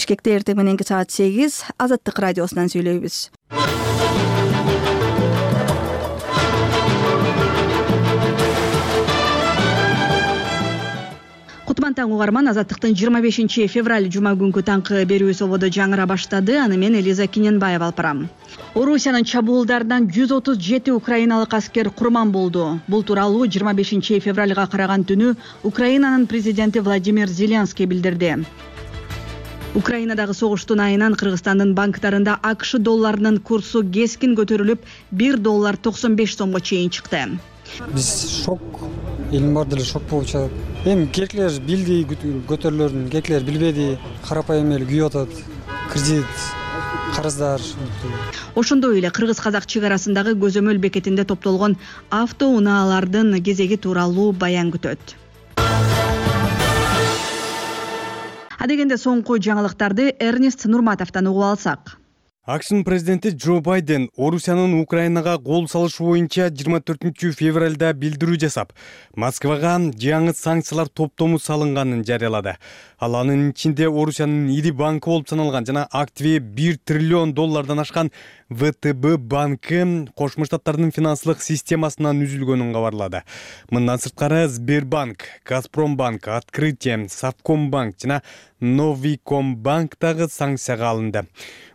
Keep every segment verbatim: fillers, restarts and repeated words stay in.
Бишкекте эртең мененки саат сегиз Азаттык радиосунан сүйлөйбүз. Кутман таң угарман, Азаттыктын жыйырма бешинчи февраль жума күнкү таңкы берүү сободо жаңыра баштады. Аны мен Элиза Киненбаева алып барам. Орусиянын чабуулдарынан жүз отуз жети украиналык аскер курман болду. Бул тууралуу жыйырма бешинчи февралга караган түнү Украинанын президенти Владимир Зеленский билдирди. Украинадагы согуштун айынан Кыргызстандын банктарында АКШ долларынын курсу кескин көтөрүлүп, бир доллар токсон беш сомго чейин чыкты. Биз шок, элим бар деле шок болуп чыгат. Эми керкилер билди көтөрүлөрүн, керкилер билбеди, карапайым эл күйүп атат. Кредит, карыздар. Ошондой эле кыргыз-казак чек арасындагы көзөмөл бекетинде топтолгон автоунаалардын кезеги тууралуу баян күтөт. Адегенде соңку жаңылыктарды Эрнест Нурматовдон угуп алсак. АКШнын президенти Джо Байден Орусиянын Украинага кол салыш боюнча жыйырма төртүнчү февралда билдирүү жасап, Москвага жаңы санкциялар топтому салынганын жарыялады. Ал анын ичинде Орусиянын ири банкы болуп саналган жана активи бир триллион доллардан ашкан вэ тэ бэ банкы Кошмо Штаттардын финансылык системасынан үзүлгөнүн кабарлады. Мындан сырткары Сбербанк, Газпромбанк, Открытие, Совкомбанк жана Новикомбанк дагы санкцияга алынды.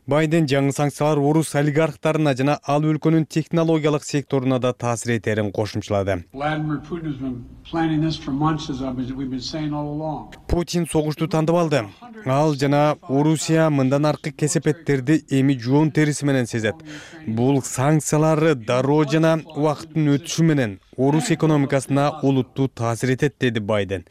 Байден жаңы санкциялар орус олигархтарына жана ал өлкөнүн технологиялык секторуна да таасир этерин кошумчалады. Путин согушту тандап алды. Ал жана Орусия мындан аркы кесепеттерди эми жоон териси менен сезет. Бул санкциялар дароо жана убакыттын өтүшү менен орус экономикасына олуттуу таасир этет, деди Байден.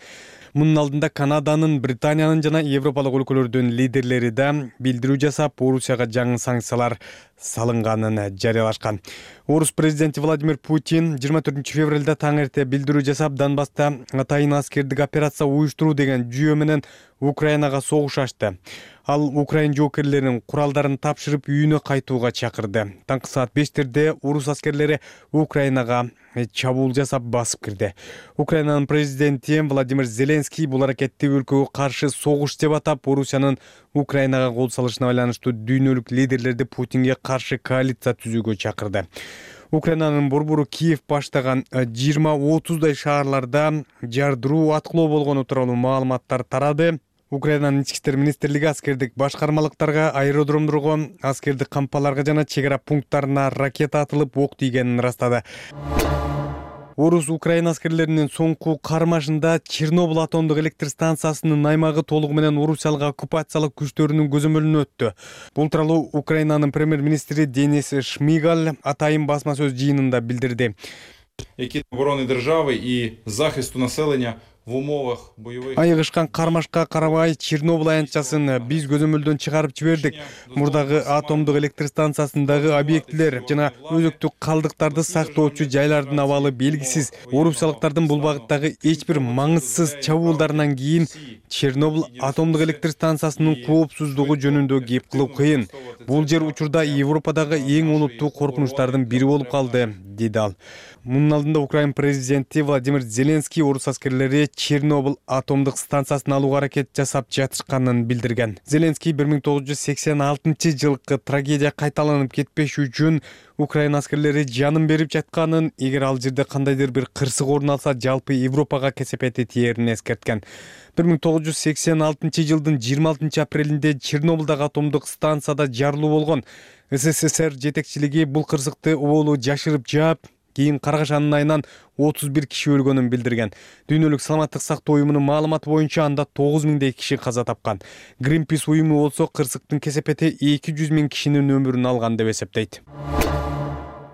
Мунун алдында Канаданын, Британиянын жана Европалык өлкөлөрдүн лидерлери да билдирүү жасап, Орусияга жаңы санкциялар салынганын жарыялашкан. Орус президенти Владимир Путин жыйырма төртүнчү февралда таң эрте билдирүү жасап, Донбасста атайын аскердик операция уюштуруу деген жүйө менен Украинага согуш ачты. Ал Украин жоокерлеринин куралдарын тапшырып үйүнө кайтууга чакырды. Таңкы саат бештерде орус аскерлери Украинага чабуул жасап басып кирди. Украинанын президенти Владимир Зеленский бул аракетти өлкөгө каршы согуш деп атап, Орусиянын Украинага кол салышына байланыштуу дүйнөлүк лидерлерди Путинге каршы коалиция түзүүгө чакырды. Украинанын борбору Киев баштаган жыйырма отуздай шаарларда жардыруу аткылоо болгону тууралуу маалыматтар тарады. Украинанын ички иштер министрлиги аскердик башкармалыктарга, аэродромдорго, аскердик кампаларга жана чек ара пункттарына ракета атылып ок тийгенин ырастады. Орус Украина аскерлеринин соңку кармашында Чернобыль атомдук электр станциясынын аймагы толугу менен орусиялык оккупациялык күчтөрүнүн көзөмөлүнө өттү. Бул тууралуу Украинанын премьер-министри Денис Шмигаль атайын басма сөз жыйынында билдирди. Які оборони держави і захисту населення в умовах бойових. Айыгышкан кармашка карабай Чернобыль аянтчасын биз көзөмөлдөн чыгарып жибердик. Мурдагы атомдук электр станциясындагы объектилер жана өзөктүк калдыктарды сактоочу жайлардын абалы белгисиз. Орусиялыктардын бул багыттагы эч бир маңызсыз чабуулдарынан кийин Чернобыль атомдук электр станциясынын коопсуздугу жөнүндө кеп кылып кыйын. Бул жер учурда Европадагы эң олуттуу коркунучтардын бири болуп калды, деди ал. Мунун алдында Украин президенти Владимир Зеленский орус аскерлери Чернобыль атомдук станциясын алууга аракет жасап жатышканын билдирген. Зеленский бир миң тогуз жүз сексен алтынчы жылкы трагедия кайталанып кетпеш үчүн Украин аскерлери жанын берип жатканын, эгер ал жерде кандайдыр бир кырсык орун алса, жалпы Европага кесепети тиерин эскерткен. бир миң тогуз жүз сексен алтынчы жылдын жыйырма алтынчы апрелинде Чернобылдагы атомдук станцияда жарылуу болгон. СССР жетекчилиги бул кырсыкты оболу жашырып жаап, кийин каргашанын айынан отуз бир киши өлгөнүн билдирген. Дүйнөлүк саламаттык сактоо уюмунун маалыматы боюнча анда тогуз миңдей киши каза тапкан. Greenpeace уюму болсо кырсыктын кесепети эки жүз миң кишинин өмүрүн алган деп эсептейт.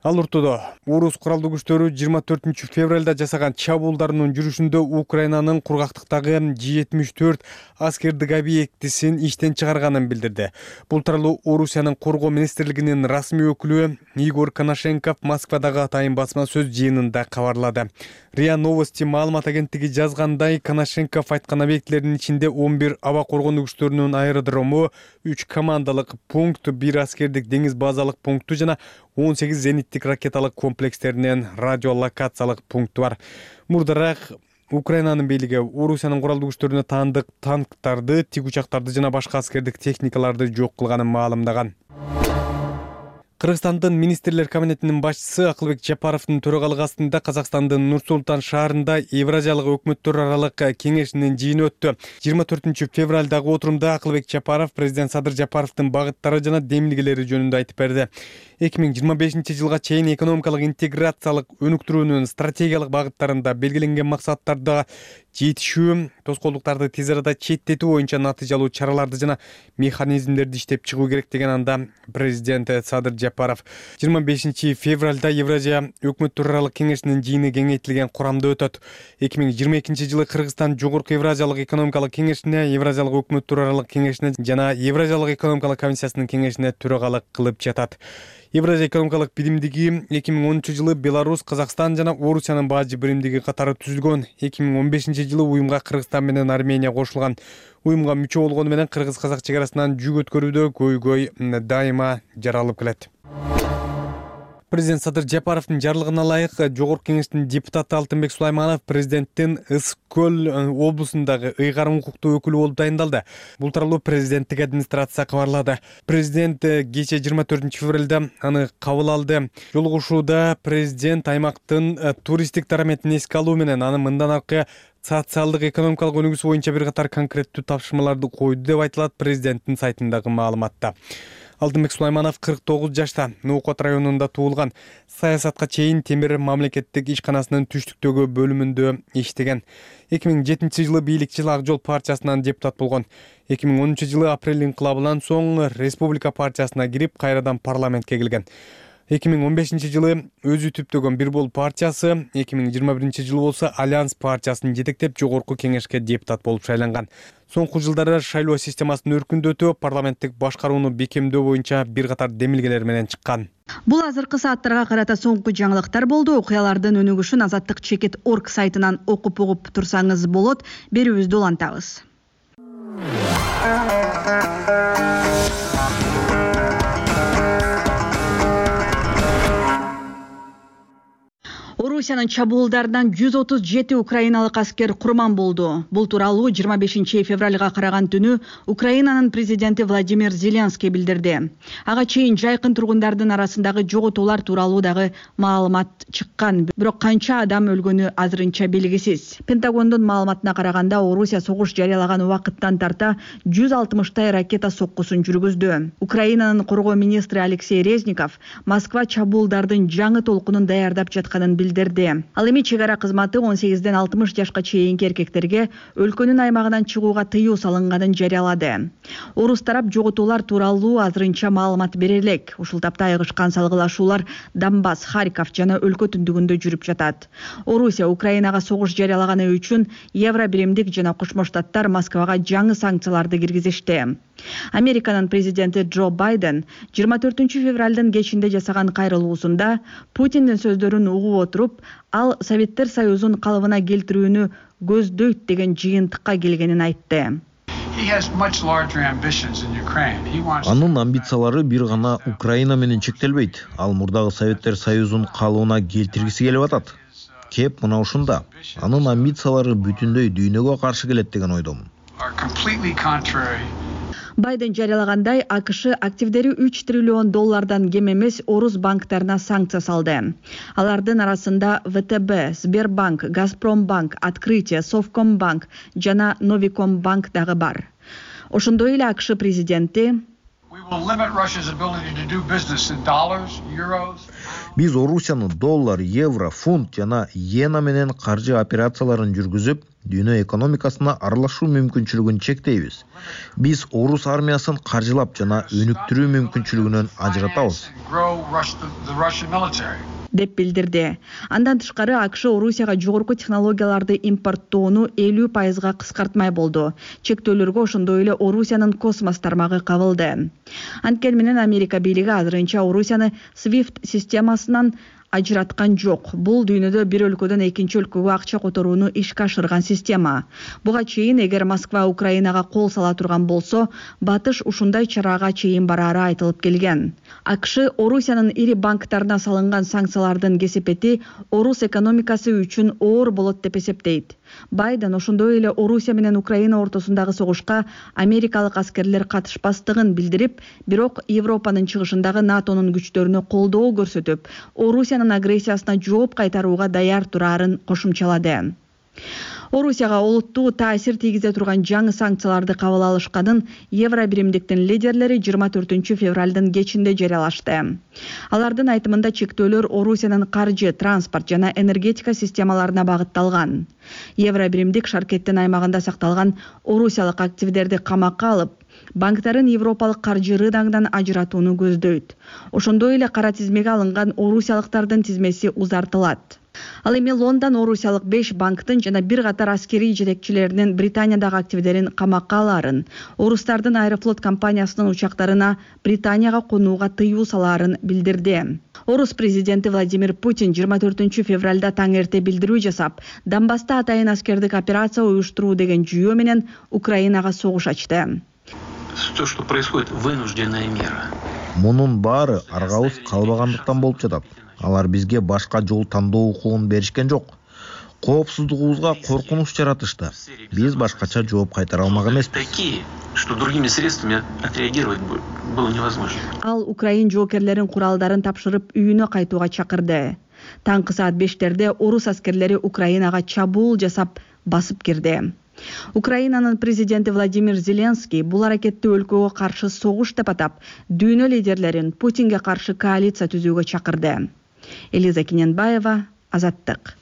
Ал ортодо орус куралдуу күчтөрү жыйырма төртүнчү февралда жасаган чабуулдарынын жүрүшүндө Украинанын кургактыктагы жетимиш төрт аскердик объектисин иштен чыгарганын билдирди. Бул тууралуу Орусиянын коргоо министрлигинин расмий өкүлү Игорь Коношенков Москвадагы атайын басма сөз жыйынында кабарлады. РИА Новости маалымат агенттиги жазгандай, Коношенков айткан объектилердин ичинде он бир аба коргонуу күчтөрүнүн аэродрому, үч командалык пункт, бир аскердик деңиз базалык пункту жана он сегиз зениттик ракеталык комплекстеринен радиолокациялык пункту бар. Мурдараак Украинанын бийлиги Орусиянын куралдуу күчтөрүнө таандык танктарды, тик учактарды жана башка аскердик техникаларды жок кылганын маалымдаган. Кыргызстандын министрлер кабинетинин башчысы Акылбек Жапаровдун төрагалыгы астында Казакстандын Нур-Султан шаарында Евразиялык өкмөттөр аралык кеңешинин жыйыны өттү. жыйырма төртүнчү февралдагы отурумда Акылбек Жапаров президент Садыр Жапаровдун багыттары жана демилгелери жөнүндө айтып берди. эки миң жыйырма бешинчи жылга чейин экономикалык интеграциялык өнүктүрүүнүн стратегиялык багыттарында белгиленген максаттарда жетишүү, тоскоолдуктарды тез арада четтетүү боюнча натыйжалуу чараларды жана механизмдерди иштеп чыгуу керек деген анда президент Садыр Жапаров. жыйырма бешинчи февралда Евразия өкмөттөр аралык кеңешинин жыйыны кеңейтилген курамда өтөт. эки миң жыйырма экинчи жылы Кыргызстан Жогорку Евразиялык экономикалык кеңешине, Евразиялык өкмөттөр аралык кеңешине жана Евразиялык экономикалык комиссиясынын кеңешине төрагалык кылып жатат. Евразия экономикалык биримдиги эки миң онунчу жылы Беларусь, Казакстан жана Орусиянын бажы биримдиги катары түзүлгөн. эки миң он бешинчи жылы уюмга Кыргызстан менен Армения кошулган. Уюмга мүчө болгону менен кыргыз-казак чек арасынан жүк өткөрүүдө көйгөй дайыма жаралып келет. Президент Садыр Жапаровдун жарлыгына ылайык Жогорку кеңештин депутаты Алтынбек Сулайманов президенттин Ысык көл облусундагы ыйгарым укуктуу өкүлү болуп дайындалды. Бул тууралуу президенттик администрация кабарлады. Президент кечээ жыйырма төртүнчү февралда аны кабыл алды. Жолугушууда президент аймактын туристтик дараметин эске алуу менен аны мындан аркы социалдык экономикалык өнүгүүсү боюнча бир катар конкреттүү тапшырмаларды койду деп айтылат президенттин сайтындагы маалыматта. Алтынбек Сулайманов кырк тогуз жашта, Нуукот районунда туулган. Саясатка чейин Темир мамлекеттик ишканасынын түштүктөгү бөлүмүндө иштеген. эки миң жетинчи жылы бийликчил Ак Жол партиясынан депутат болгон. эки миң онунчу жылы апрель инкылабынан соң Республика партиясына кирип, кайрадан парламентке келген. эки миң он бешинчи жылы өзү түптөгөн Бир Бол партиясы, эки миң жыйырма биринчи жылы болсо Альянс партиясын жетектеп Жогорку кеңешке депутат болуп шайланган. Соңку жылдары шайлоо системасын өркүндөтүү, парламенттик башкарууну бекемдөө боюнча бир катар демилгелер менен чыккан. Бул азыркы сааттарга карата соңку жаңылыктар болду. Окуялардын өнүгүшүн азаттык чекит точка орг сайтынан окуп угуп турсаңыз болот. Берүүбүздү улантабыз. Орусиянын чабуулдарынан жүз отуз жети украиналык аскер курман болду. Бул тууралуу жыйырма бешинчи февралга караган түнү Украинанын президенти Владимир Зеленский билдирди. Ага чейин жайкын тургундардын арасындагы жоготуулар тууралуу дагы маалымат чыккан, бирок канча адам өлгөнү азырынча белгисиз. Пентагондун маалыматына караганда, Орусия согуш жарыялаган убакыттан тарта жүз алтымыштай ракета соккусун жүргүздү. Украинанын коргоо министри Алексей Резников Москва чабуулдардын жаңы толкунун даярдап жатканын билдирди. Ал эми чек ара кызматы он сегизден алтымыш жашка чейинки эркектерге өлкөнүн аймагынан чыгууга тыюу салынганын жарыялады. Орус тарап жоготуулар тууралуу азырынча маалымат бере элек. Ушул тапта айыгышкан салгылашуулар Донбасс, Харьков жана өлкө түндүгүндө жүрүп жатат. Орусия Украинага согуш жарыялаганы үчүн Евро биримдик жана Кошмо Штаттар Москвага жаңы санкцияларды киргизишти. Американын президенти Джо Байден жыйырма төртүнчү февралдын кечинде жасаган кайрылуусунда Путиндин сөздөрүн угуп отуруп, ал Советтер Союзун калыбына келтирүүнү көздөйт деген жыйынтыкка келгенин айтты. Анын амбициялары бир гана Украина менен чектелбейт. Ал мурдагы Советтер Союзун калыбына келтиргиси келип атат. Кеп мына ушунда. Анын амбициялары бүтүндөй дүйнөгө каршы келет деген ойдомун. Байден жарыялагандай, АКШ активдери үч триллион доллардан кем эмес орус банктарына санкция салды. Алардын арасында вэ тэ бэ, Сбербанк, Газпромбанк, Открытие, Совкомбанк жана Новикомбанк дагы бар. Ошондой эле АКШ президенти Биз Орусияны доллар, евро, фунт жана иена менен каржы операцияларын жүргүзүп, дүйнө экономикасына аралашуу мүмкүнчүлүгүн чектейбиз. Биз орус армиясын каржылап жана өнүктүрүү мүмкүнчүлүгүнөн ажыратабыз, деп билдирди. Андан тышкары АКШ Орусияга жогорку технологияларды импорттоону элүү пайызга кыскартмай болду. Чектөөлөргө ошондой эле Орусиянын космос тармагы кабылды. Анткени менен Америка бийлиги азырынча Орусияны свифт системасынан ажыраткан жок. Бул дүйнөдө бир өлкөдөн экинчи өлкөгө акча которууну ишке ашырган система. Буга чейин эгер Москва Украинага кол сала турган болсо, батыш ушундай чарага чейин барары айтылып келген. АКШ Орусиянын ири банктарына салынган санкциялардын кесепети орус экономикасы үчүн оор болот деп эсептейт. Байден ошондой эле Орусия менен Украина ортосундагы согушка америкалык аскерлер катышпастыгын билдирип, бирок Европанын чыгышындагы натонун күчтөрүнө колдоо көрсөтүп, Орусиянын агрессиясына жооп кайтарууга даяр турарын кошумчалады. Орусияга олуттуу таасир тийгизе турган жаңы санкцияларды кабыл алышканын Евро биримдиктин лидерлери жыйырма төртүнчү февралдын кечинде жарыялашты. Алардын айтымында чектөөлөр Орусиянын каржы, транспорт жана энергетика системаларына багытталган. Евро биримдик Шаркеттин аймагында сакталган орусиялык активдерди камакка алып, банктарын европалык каржы рыногунан ажыратууну көздөйт. Ошондой эле кара тизмеге алынган орусиялыктардын тизмеси узартылат. Ал эми Лондон орусиялык беш банктын жана бир катар аскерий жетекчилеринин Британиядагы активдерин камакка алаарын, орустардын Аэрофлот компаниясынын учактарына Британияга конууга тыюу салаарын билдирди. Орус президенти Владимир Путин жыйырма төртүнчү февралда таң эрте билдирүү жасап, Донбасста атайын аскердик операция уюштуруу деген жүйө менен Украинага согуш ачты. То, что происходит, вынужденная мера. Мунун баары аргабыз калбагандыктан болуп жатат. Алар бизге башка жол тандоо укугун беришкен жок. Коопсуздугубузга коркунуч жаратышты. Биз башкача жооп кайтара алмак эмеспиз. Такие, что другими средствами отреагировать было невозможно. Ал Украин жоокерлерин куралдарын тапшырып үйүнө кайтууга чакырды. Таңкы саат бештерде орус аскерлери Украинага чабуул жасап басып кирди. Украинанын президенти Владимир Зеленский бул аракетти өлкөгө каршы согуш деп атап, дүйнө лидерлерин Путинге каршы коалиция түзүүгө чакырды. Элиза Киненбаева, Азаттык.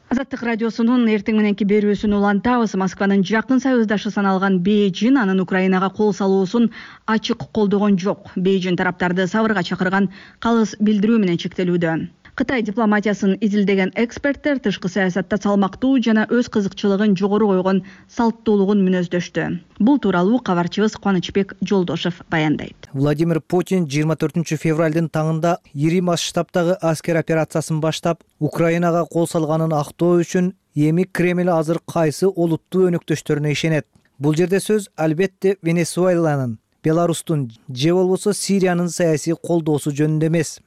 Азаттык радиосунун эртең мененки берүүсүн улантабыз. Москванын жакын союздашы саналган Бейжин анын Украинага кол салуусун ачык колдогон жок. Бейжин тараптарды сабырга чакырган калыс билдирүү менен чектелүүдө. Кытай дипломатиясын изилдеген эксперттер тышкы саясатта салмактуу жана өз кызыкчылыгын жогору койгон салттуулугун мүнөздөштү. Бул тууралуу кабарчыбыз Кубанычбек Жолдошев баяндайт. Владимир Путин жыйырма төртүнчү февралдын таңында ири масштабтагы аскер операциясын баштап, Украинага кол салганын актоо үчүн эми Кремль азыр кайсы олуттуу өнөктөштөрүнө ишенет. Бул жерде сөз албетте Венесуэланын, Беларустун же болбосо Сириянын саясий колдоосу жөнүндө эмес.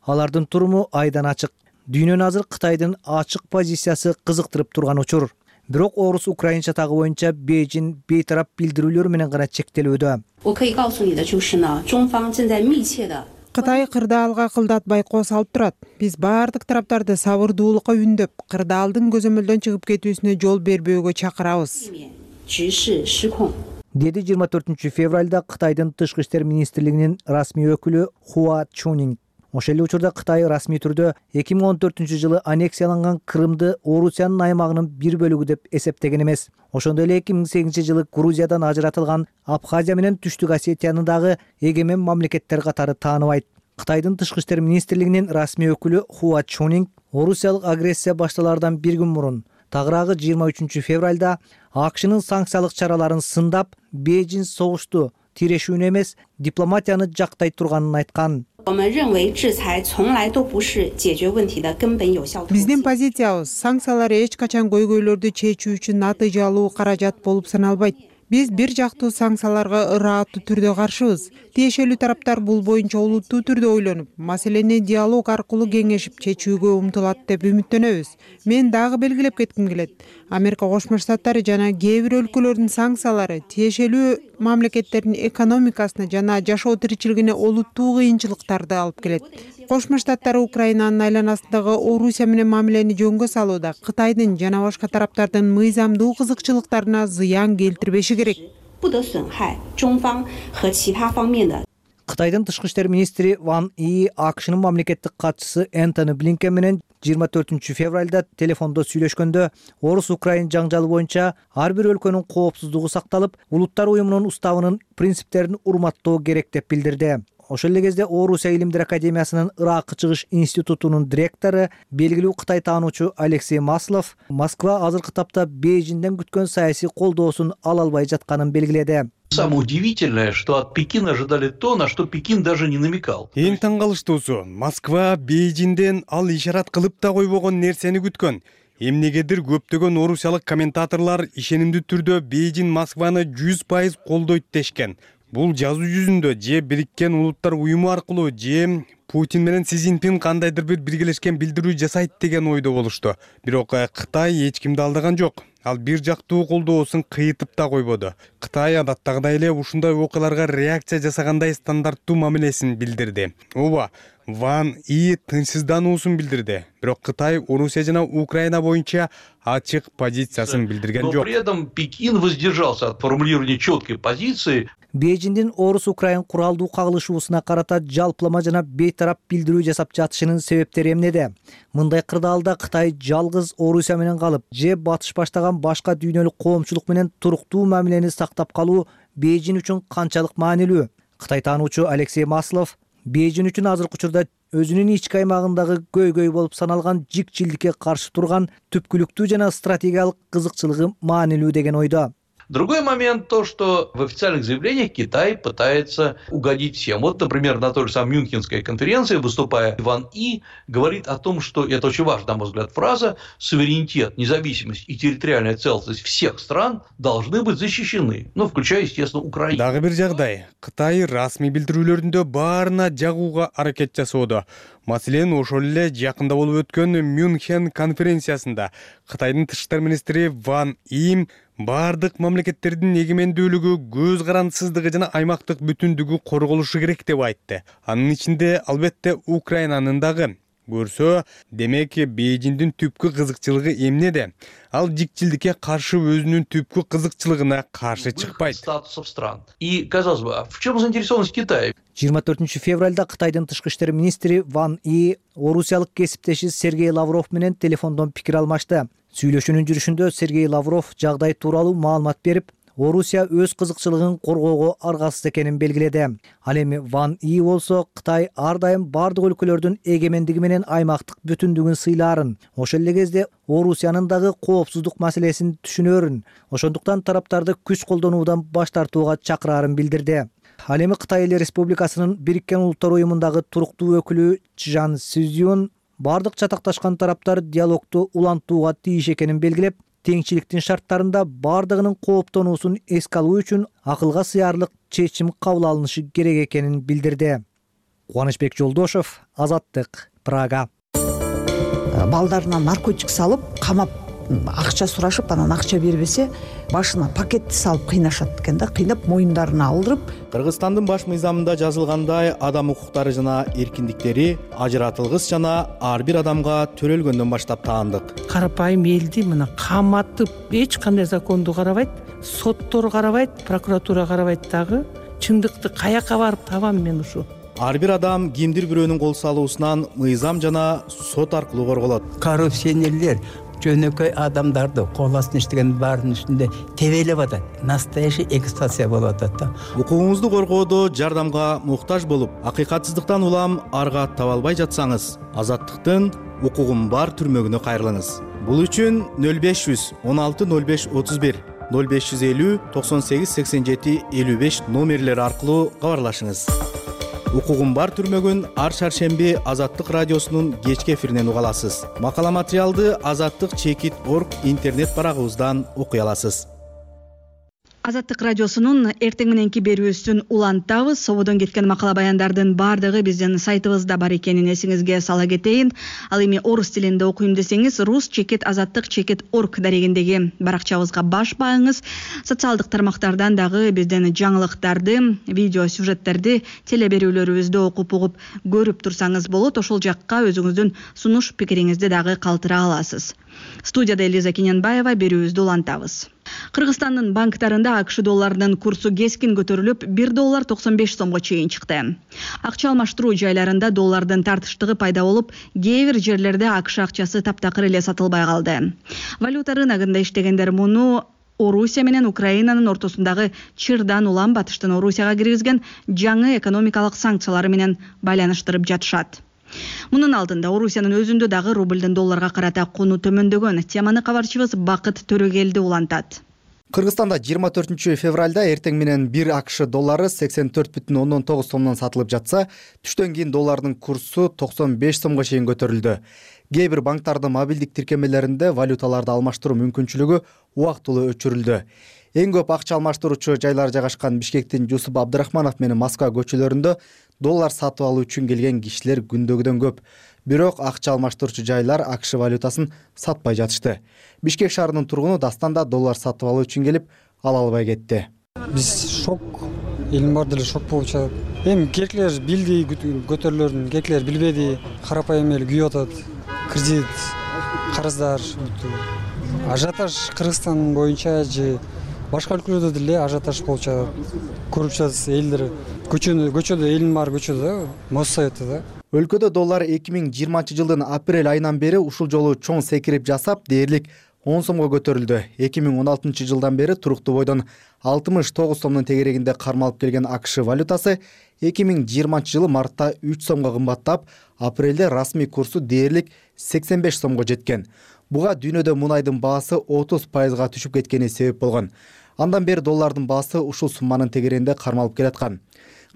Алардын туруму айдан ачык. Дүйнөнү азыр Кытайдын ачык позициясы кызыктырып турган учур. Бирок орус украинча тагы боюнча Бейжин бейтарап билдирүүлөр менен гана чектелүүдө. Кытай кырдаалга кылдатпай кол салып турат. Биз баардык тараптарды сабырдуулукка үндөп, кырдаалдын көзөмөлдөн чыгып кетүүсүнө жол бербөөгө чакырабыз. Деди жыйырма төртүнчү февралда Кытайдын тышкы иштер министрлигинин расмий өкүлү Хуа Чунинг. Ошол эле учурда Кытай расмий түрдө эки миң он төртүнчү жылы аннексияланган Крымды Орусиянын аймагынын бир бөлүгү деп эсептеген эмес. Ошондой эле эки миң сегизинчи жылы Грузиядан ажыратылган Абхазия менен Түштүк Осетияны дагы эгемен мамлекеттер катары тааныбайт. Кытайдын тышкы иштер министрлигинин расмий өкүлү Хуа Чунинг орусиялык агрессия башталаардан бир күн мурун, тагыраагы жыйырма үчүнчү февралда АКШнын санкциялык чараларын сындап, Бейжин согушту тирешүүнү эмес, дипломатияны жактай турганын айткан. Биздин позициябыз санкциялар эч качан көйгөйлөрдү чечүү үчүн натыйжалуу каражат болуп саналбайт. Биз бир жактуу санкцияларга ырааттуу түрдө каршыбыз. Тиешелүү тараптар бул боюнча олуттуу түрдө ойлонуп, маселени диалог аркылуу кеңешип чечүүгө умтулат деп үмүттөнөбүз. Мен дагы белгилеп кетким келет. Америка Кошмо Штаттары жана кээ бир өлкөлөрдүн санкциялары тиешелүү мамлекеттердин экономикасына жана жашоо тиричилигине олуттуу кыйынчылыктарды алып келет. Кошмо Штаттар Украинанын айланасындагы Орусия менен мамилени жөнгө салууда Кытайдын жана башка тараптардын мыйзамдуу кызыкчылыктарына зыян келтирбеши керек. Кытайдын тышкы иштер министри Ван И АКШнын мамлекеттик катчысы Энтони Блинкен менен жыйырма төртүнчү февралда телефондо сүйлөшкөндө орус-украин жаңжалы боюнча ар бир өлкөнүн коопсуздугу сакталып, улуттар уюмунун уставынын принциптерин урматтоо керек деп билдирди. Ошол эле кезде Орусия илимдер академиясынын Ыракка чыгыш институтунун директору, белгилүү Кытай таануучу Алексей Маслов Москва азыркы тапта Бейжинден күткөн саясий колдоосун ала албай жатканын белгиледи. Самое удивительное, что от Пекина ожидали то, на что Пекин даже не намекал. Эң таң калыштуусу, Москва Бейжинден ал ишарат кылып да койбогон нерсени күткөн. Эмнегедир көптөгөн орусиялык комментаторлор ишенимдүү түрдө Бейжин Москваны жүз пайыз колдойт дешкен. Бул жазуу жүзүндө же Бириккен Улуттар уюму аркылуу же Путин менен Си Цзиньпин кандайдыр бир биргелешкен билдирүү жасайт деген ойдо болушту. Бирок Кытай эч кимди алдаган жок. Ал бир жактуу колдоосун кыйтып да койбоду. Кытай адаттагыдай эле ушундай окуяларга реакция жасагандай стандарттуу мамилесин билдирди. Ооба, Ван И тынчсыздануусун билдирди. Бирок Кытай Орусия жана Украина боюнча ачык позициясын билдирген жок. Но при этом Пекин воздержался от формулирования четкой позиции. Бейжиңдин Орус-Украин куралдуу кагылышуусуна карата жалпылама жана бейтарап билдирүү жасап жатышынын себептери эмнеде? Мындай кырдаалда Кытай жалгыз Орусия менен калып, же батыш баштаган башка дүйнөлүк коомчулук менен туруктуу мамилени сактап калуу Бейжиң үчүн канчалык маанилүү? Кытай таануучу Алексей Маслов Бейжиң үчүн азыркы учурда өзүнүн ички аймагындагы көйгөй болуп саналган жикчилдикке каршы турган түпкүлүктүү жана стратегиялык кызыкчылыгы маанилүү деген ойдо. Другой момент то, что в официальных заявлениях Китай пытается угодить всем. Вот, например, на той же самой Мюнхенской конференции, выступая, Ван И говорит о том, что, это очень важная, на мой взгляд, фраза, суверенитет, независимость и территориальная целостность всех стран должны быть защищены, ну, включая, естественно, Украину. Дагы бир жагдай, Кытай расмий билдирүүлөрүндө баарына жагууга аракет жасоодо. Маселен, ошол эле жакында болуп өткөн Мюнхен конференциясында Кытайдын тышкы иштер министри Ван И бардык мамлекеттердин эгемендүүлүгү, көз карандысыздыгы жана аймактык бүтүндүгү корголушу керек деп айтты. Анын ичинде албетте Украинанын дагы. Көрсө, демек Бейжиңдин түпкү кызыкчылыгы эмнеде? Ал жикчилдикке каршы өзүнүн түпкү кызыкчылыгына каршы чыкпайт. Статусов стран. И, казалось бы, в чем заинтересованность Китая? жыйырма төртүнчү февралда Кытайдын тышкы иштер министри Ван И орусиялык кесиптеши Сергей Лавров менен телефондон пикир алмашты. Сүйлөшүүнүн жүрүшүндө Сергей Лавров жагдай тууралуу маалымат берип, Орусия өз кызыкчылыгын коргоого аргасыз экенин белгиледи. Ал эми Ван И болсо Кытай ар дайым бардык өлкөлөрдүн эгемендиги менен аймактык бүтүндүгүн сыйлаарын, ошол эле кезде Орусиянын дагы коопсуздук маселесин түшүнөрүн, ошондуктан тараптарды күч колдонуудан баш тартууга чакыраарын билдирди. Ал эми Кытай Эл Республикасынын Бириккен Улуттар уюмундагы туруктуу өкүлү Чжан Сюзюн бардык чатакташкан тараптар диалогду улантууга тийиш экенин белгилеп, теңчиликтин шарттарында бардыгынын кооптонуусун эске алуу үчүн акылга сыярлык чечим кабыл алынышы керек экенин билдирди. Кубанычбек Жолдошов, Азаттык, Прага. Балдарына наркотик салып, камап, акча сурашып, анан акча бербесе, башына пакетти салып кыйнашат экен да, кыйнап моюндарына алдырып. Кыргызстандын баш мыйзамында жазылгандай, адам укуктары жана эркиндиктери ажыратылгыс жана ар бир адамга төрөлгөндөн баштап таандык. Карапайым элди мына каматып, эч кандай законду карабайт, соттор карабайт, прокуратура карабайт дагы. Чындыкты каяка барып табам мен ушу? Ар бир адам кимдир бирөөнүн кол салуусунан мыйзам жана сот аркылуу корголот. Коррупционерлер жөнөкөй адамдарды кол астына иштеген баарынын үстүндө тебелеп атат. Настоящий эксплуатация болуп атат да. Укугуңузду коргоодо жардамга муктаж болуп, акыйкатсыздыктан улам арга таба албай жатсаңыз, Азаттыктын укугум бар түрмөгүнө кайрылыңыз. Бул үчүн нөл беш жүз он алты нөл беш отуз бир, нөл беш жүз элүү токсон сегиз сексен жети элүү беш номерлери аркылуу кабарлашыңыз. Укугум бар түрмөгүн ар шаршемби Азаттык радиосунун кечки эфиринен уга аласыз. Макала материалды азаттык чекит точка орг интернет барагыбыздан окуй аласыз. Азаттык радиосунун эртең мененки берүүсүн улантабыз. Сободон кеткен макала баяндардын бардыгы биздин сайтыбызда бар экенин эсиңизге сала кетейин. Ал эми орус тилинде окуйм десеңиз, рус чекит азаттык чекит точка орг дарегиндеги баракчабызга баш бааңыз. Социалдык тармактардан дагы биздин жаңылыктарды, видео сюжеттерди, теле берүүлөрүбүздү окуп угуп көрүп турсаңыз болот. Ошол жакка өзүңүздүн сунуш пикириңизди дагы калтыра аласыз. Студияда Элиза Киненбаева, берүүбүздү улантабыз. Кыргызстандын банктарында АКШ долларынын курсу кескин көтөрүлүп, бир доллар токсон беш сомго чейин чыкты. Акча алмаштыруу жайларында доллардын тартыштыгы пайда болуп, кээ бир жерлерде АКШ акчасы таптакыр эле сатылбай калды. Валюта рыногунда иштегендер муну Орусия менен Украинанын ортосундагы чырдан улам батыштын Орусияга киргизген жаңы экономикалык санкциялары менен байланыштырып жатышат. Мунун алдында Орусиянын өзүндө дагы рублдун долларга карата куну төмөндөгөн. Теманы кабарчыбыз Бакыт Төрөгелди улантат. Кыргызстанда жыйырма төртүнчү февралда эртең менен бир АКШ доллары сексен төрт бүтүн ондон тогуз сомдон сатылып жатса, түштөн кийин доллардын курсу токсон беш сомго чейин көтөрүлдү. Кээ бир банктардын мобилдик тиркемелеринде валюталарды алмаштыруу мүмкүнчүлүгү убактылуу өчүрүлдү. Эң көп акча алмаштыруучу жайлар жайгашкан Бишкектин Жусуп Абдрахманов менен Москва көчөлөрүндө доллар сатып алуу үчүн келген кишилер күндөгүдөн көп. Бирок акча алмаштыруучу жайлар АКШ валютасын сатпай жатышты. Бишкек шаарынын тургуну Дастан да доллар сатып алуу үчүн келип, ала албай кетти. Биз шок, элдин баары деле шок болуп жатат. Эми керкилер билди көтөрүлөрүн, керкилер билбеди, карапайым эле күйүп атат. Кредит, карыздар, ажиотаж Кыргызстан боюнча же башка өлкөлөрдө деле ажиотаж болуп жатат. Көрүп жатасыз, элдер көчөдө, көчөдө элдин баары көчөдө, Моссоветте да. Өлкөдө доллар эки миң жыйырманчы жылдын апрель айынан бери ушул жолу чоң секирип жасап, дээрлик он сомго көтөрүлдү. эки миң он алтынчы жылдан бери туруктуу бойдон алтымыш тогуз сомдун тегерегинде кармалып келген АКШ валютасы эки миң жыйырманчы жылы мартта үч сомго кымбаттап, апрелде расмий курсу дээрлик сексен беш сомго жеткен. Буга дүйнөдө мунайдын баасы отуз пайызга түшүп кеткени себеп болгон. Андан бери доллардын баасы ушул сумманын тегерегинде кармалып келаткан.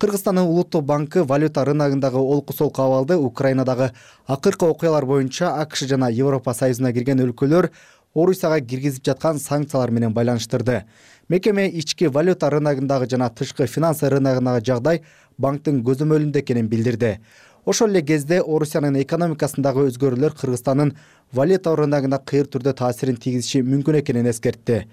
Кыргызстандын улуттук банкы валюта рыногундагы олку-солку абалды Украинадагы акыркы окуялар боюнча АКШ жана Европа Союзуна кирген өлкөлөр Орусияга киргизип жаткан санкциялар менен байланыштырды. Мекеме ички валюта рыногундагы жана тышкы финансы рыногундагы жагдай банктын көзөмөлүндө экенин билдирди. Ошол эле кезде Орусиянын экономикасындагы өзгөрүүлөр Кыргызстандын валюта рыногуна кыйыр түрдө таасирин тийгизиши мүмкүн экенин эскертти.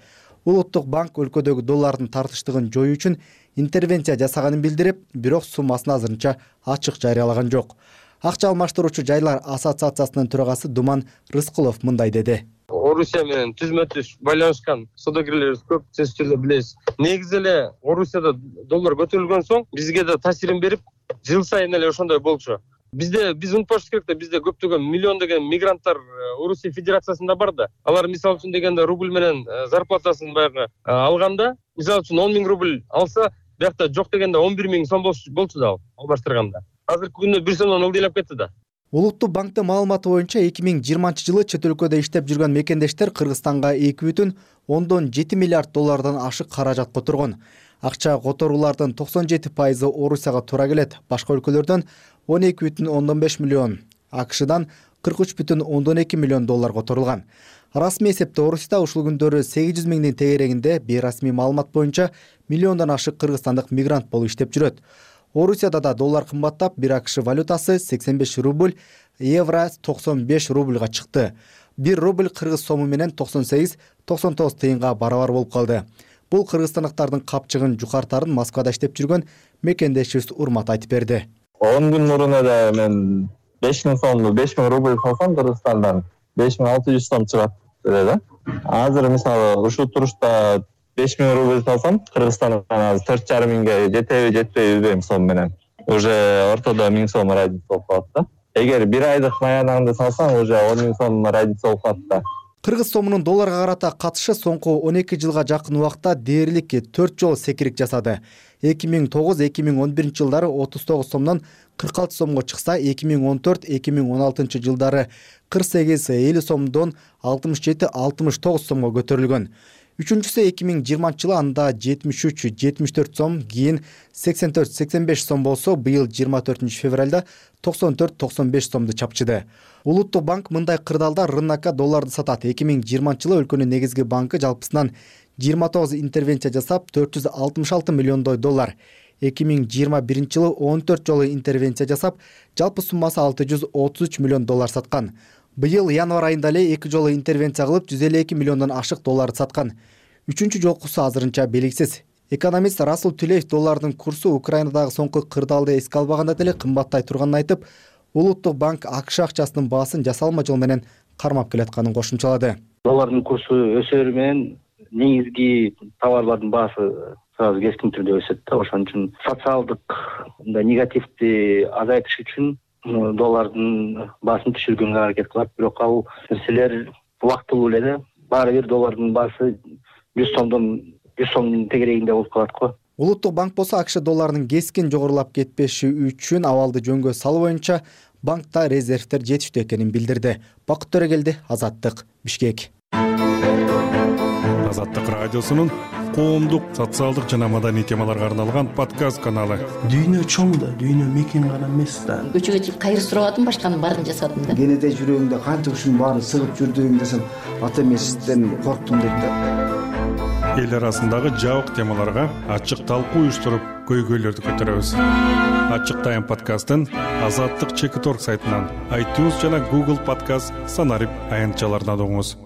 Улуттук банк өлкөдөгү доллардын тартыштыгын жоюу үчүн интервенция жасаганын билдирип, бирок суммасын азырынча ачык жарыялаган жок. Акча алмаштыруучу жайлар ассоциациясынын төрагасы Думан Рыскулов мындай деди. Орусия менен түзмө-түз байланышкан саудагерлерибиз көп, сиз түрдө билесиз. Негизи эле Орусияда доллар көтөрүлгөн соң бизге да таасирин берип, жыл сайын эле ошондой болчу. Бизде биз унутпашыбыз керек да, бизде көптөгөн миллион деген мигранттар Орусия Федерациясында бар да. Алар мисалы үчүн дегенде рубль менен зарплатасын баягы алганда, мисалы үчүн он миң рубль алса, биякта жок дегенде он бир миң сом болчу да алмаштырганда. Азыркы күндө бир сомдон ылдыйлап кетти да. Улуттук банктын маалыматы боюнча эки миң жыйырманчы жылы чет өлкөдө иштеп жүргөн мекендештер Кыргызстанга эки бүтүн ондон жети миллиард доллардан ашык каражат которгон. Акча которуулардын токсон жети пайызы Орусияга туура келет. Башка өлкөлөрдөн он эки бүтүн ондон беш миллион, АКШдан кырк үч бүтүн ондон эки миллион доллар которулган. Расмий эсепте Орусияда ушул күндөрү сегиз жүз миңдин тегерегинде бейрасмий маалымат боюнча миллиондон ашык кыргызстандык мигрант болуп иштеп жүрөт. Орусияда да доллар кымбаттап, бир АКШ валютасы сексен беш рубль, евро токсон беш рубльга чыкты. бир рубль кыргыз сому менен токсон сегиз токсон тогуз тыйынга барабар болуп калды. Бул кыргызстандыктардын капчыгын жукартарын Москвада иштеп жүргөн мекендешибиз Урмат айтып берди. он күн мурун эле мен беш миң сомду беш миң рубль салсам Кыргызстандан беш миң алты жүз сом чыгат эле да. Азыр мисалы ушул турушта беш миң рубль салсам Кыргызстандан азыр төрт жарым миңге жетеби жетпейби билбейм сом менен. Уже ортодо миң сом разница болуп калат да. Эгер бир айдык маянаңды салсаң, уже он миң сом разница болуп калат да. Кыргыз сомунун долларга карата катышы соңку он эки жылга жакын убакта дээрлик төрт жолу секирик жасады. эки миң тогуз эки миң он биринчи жылдары отуз тогуз сомдон кырк алты сомго чыкса, эки миң он төрт эки миң он алтынчы жылдары кырк сегиз элүү сомдон алтымыш жети алтымыш тогуз сомго көтөрүлгөн. Үчүнчүсү эки миң жыйырманчы жылы анда жетимиш үч жетимиш төрт сом, кийин сексен төрт сексен беш сом болсо, быйыл жыйырма төртүнчү февралда токсон төрт токсон беш сомду чапчыды. Улуттук банк мындай кырдаалда рынокко долларды сатат. эки миң жыйырманчы жылы өлкөнүн негизги банкы жалпысынан жыйырма тогуз интервенция жасап, төрт жүз алтымыш алты миллиондой доллар. эки миң жыйырма биринчи жылы он төрт жолу интервенция жасап, жалпы суммасы алты жүз отуз үч миллион доллар саткан. Быйыл январь айында эле эки жолу интервенция кылып, жүз элүү эки миллиондон ашык долларды саткан. Үчүнчү жолкусу азырынча белгисиз. Экономист Расул Түлеев доллардын курсу Украинадагы соңку кырдаалды эске албаганда деле кымбаттай турганын айтып, Улуттук банк АКШ акчасынын баасын жасалма жол менен кармап келатканын кошумчалады. Доллардын курсу өсөрү менен негизги товарлардын баасы сразу кескин түрдө өсөт да. Ошон үчүн социалдык мындай негативди азайтыш үчүн доллардын баасын түшүргөнгө аракет кылат. Бирок ал нерселер убактылуу эле да. Баары бир доллардын баасы жүз сомдон жүз сомдун тегерегинде болуп калат го. Улуттук банк болсо АКШ долларынын кескин жогорулап кетпеши үчүн абалды жөнгө салуу боюнча банкта резервдер жетиштүү экенин билдирди. Бакыт Төрөгелди, Азаттык, Бишкек. Азаттык радиосунун коомдук, социалдык жана маданий темаларга арналган подкаст каналы. Дүйнө чоң да, дүйнө мекен гана эмес да. Көчөгө чыгып кайыр сурап атам, башканын баарын жасадым да. Кенете жүрөгүңдө канча ушунун баарын сыгып жүрдүң десем, ата эмесизден корктум дейт да. эл арасындагы жабык темаларга ачык талкуу уюштуруп көйгөйлөрдү көтөрөбүз. Ачык Тайм подкастын Азаттык чекит точка орг сайтынан, iTunes жана Google Podcast санарип аянтчаларынан угуңуз.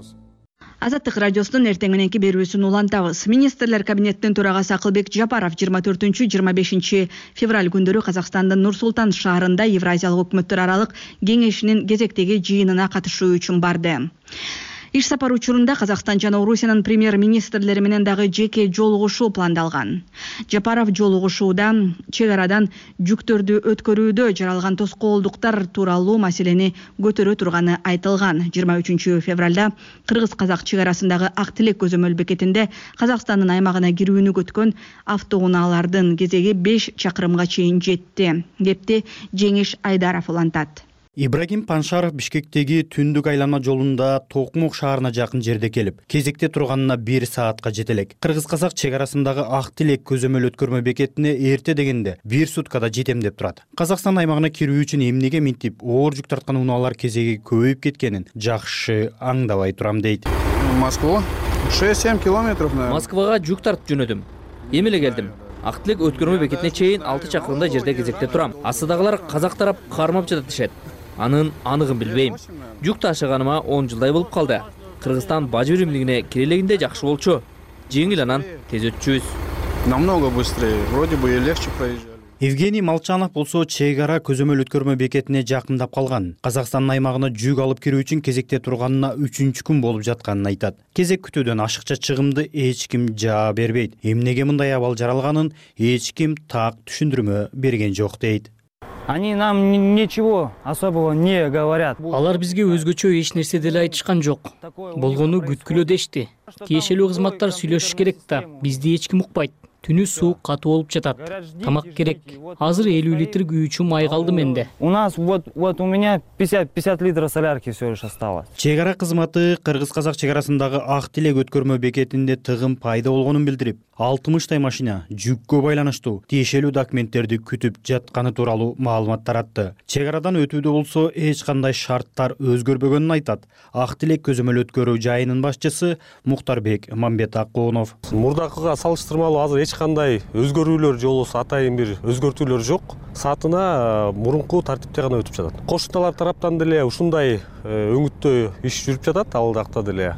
Азаттык радиосунун эртең мененки берүүсүн улантабыз. Министрлер кабинетинин төрагасы Акылбек Жапаров жыйырма төртүнчү жыйырма бешинчи февраль күндөрү Казакстандын Нур-Султан шаарында Евразиялык өкмөттөр аралык кеңешинин кезектеги жыйынына катышуу үчүн барды. Иш сапар учурунда Казакстан жана Орусиянын премьер-министрлери менен дагы жеке жолугушуу пландалган. Жапаров жолугушууда чек арадан жүктөрдү өткөрүүдө жаралган тоскоолдуктар тууралуу маселени көтөрө турганы айтылган. жыйырма үчүнчү февралда кыргыз-казак чек арасындагы Ак Тилек көзөмөл бекетинде Казакстандын аймагына кирүүнү көткөн автоунаалардын кезеги беш чакырымга чейин жетти. Кепти Жеңиш Айдаров улантат. Ибрагим Паншаров Бишкектеги түндүк айланма жолунда Токмок шаарына жакын жерде келип, кезекте турганына бир саатка жете элек. Кыргыз-казак чек арасындагы Ак Тилек көзөмөл өткөрмө бекетине эрте дегенде бир суткада жетем деп турат. Казакстан аймагына кирүү үчүн эмнеге минтип оор жүк тарткан унаалар кезеги көбөйүп кеткенин жакшы аңдабай турам дейт. Москва шесть-семь километров. Москвага жүк тартып жөнөдүм. Эми эле келдим. Ак Тилек өткөрмө бекетине чейин алты чакырымдай жерде кезекте турам. Астыдагылар казак тарап кармап жатат дешет. Анын аныгын билбейм. Жүк ташыганыма он жылдай болуп калды. Кыргызстан бажы биримдигине кирелегинде жакшы болчу. Жеңил анан тез өтчүбүз. Намного быстрее, вроде бы и легче проезжали. Евгений Молчанов болсо чек ара көзөмөл өткөрмө бекетине жакындап калган. Казакстандын аймагына жүк алып кирүү үчүн кезекте турганына үчүнчү күн болуп жатканын айтат. Кезек күтүүдөн ашыкча чыгымды эч ким жаа бербейт. Эмнеге мындай абал жаралганын эч ким так түшүндүрмө берген жок дейт. Они нам ничего особого не говорят. Алар бизге өзгөчө эч нерсе деле айтышкан жок. Болгону күткүлө дешти. Тиешелүү кызматтар сүйлөшүш керек да, бизди эч ким укпайт. Түнү суу катуу болуп жатат. Тамак керек. Азыр элүү литр күйүүчү май калды менде. У нас вот вот у меня пятьдесят литров солярки всё лишь осталось. Чек ара кызматы кыргыз-казак чек арасындагы Ак Тилек өткөрмө бекетинде тыгым пайда болгонун билдирип, алтымыштай машина жүккө байланыштуу тиешелүү документтерди күтүп жатканы тууралуу маалымат таратты. Чек арадан өтүүдө болсо эч кандай шарттар өзгөрбөгөнүн айтат. Ак Тилек көзөмөл өткөрүү жайынын башчысы Мухтарбек Мамбетакунов. Мурдакыга салыштырмалуу азыр эч кандай өзгөрүүлөр же болбосо атайын бир өзгөртүүлөр жок. Саатына мурунку тартипте гана өтүп жатат. Кошуналар тараптан деле ушундай өңүттө иш жүрүп жатат, ал жакта деле.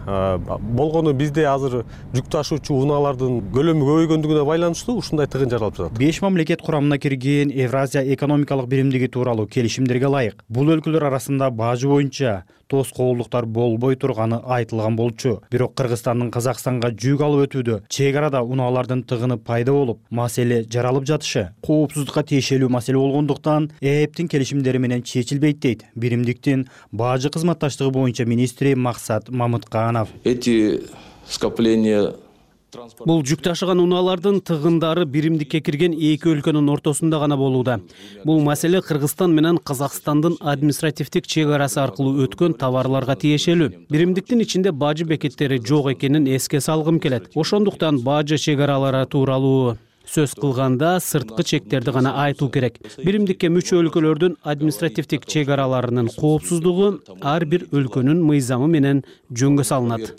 Болгону бизде азыр жүк ташуучу унаалардын көлөмү көбөйгөндүгүнө байланыштуу ушундай тыгын жаралып жатат. Беш мамлекет курамына кирген Евразия экономикалык биримдиги тууралуу келишимдерге ылайык бул өлкөлөр арасында бажы боюнча тоскоолдуктар болбой турганы айтылган болчу. Бирок Кыргызстандын Казакстанга жүк алып өтүүдө чек арада унаалардын тыгыны пайда болуп, маселе жаралып жатышы коопсуздукка тиешелүү маселе болгондуктан ЭЭПтин келишимдери менен чечилбейт дейт биримдиктин бажы кызматташтыгы боюнча министри Максат Мамытканов. Эти скопления Бул жүк ташыган унаалардын тыгындары биримдикке кирген эки өлкөнүн ортосунда гана болууда. Бул маселе Кыргызстан менен Казакстандын административдик чек арасы аркылуу өткөн товарларга тиешелүү. Биримдиктин ичинде бажы бекеттери жок экенин эске салгым келет. Ошондуктан бажы чек аралары тууралуу сөз кылганда сырткы чектерди гана айтуу керек. Биримдикке мүчө өлкөлөрдүн административдик чек араларынын коопсуздугу ар бир өлкөнүн мыйзамы менен жөнгө салынат.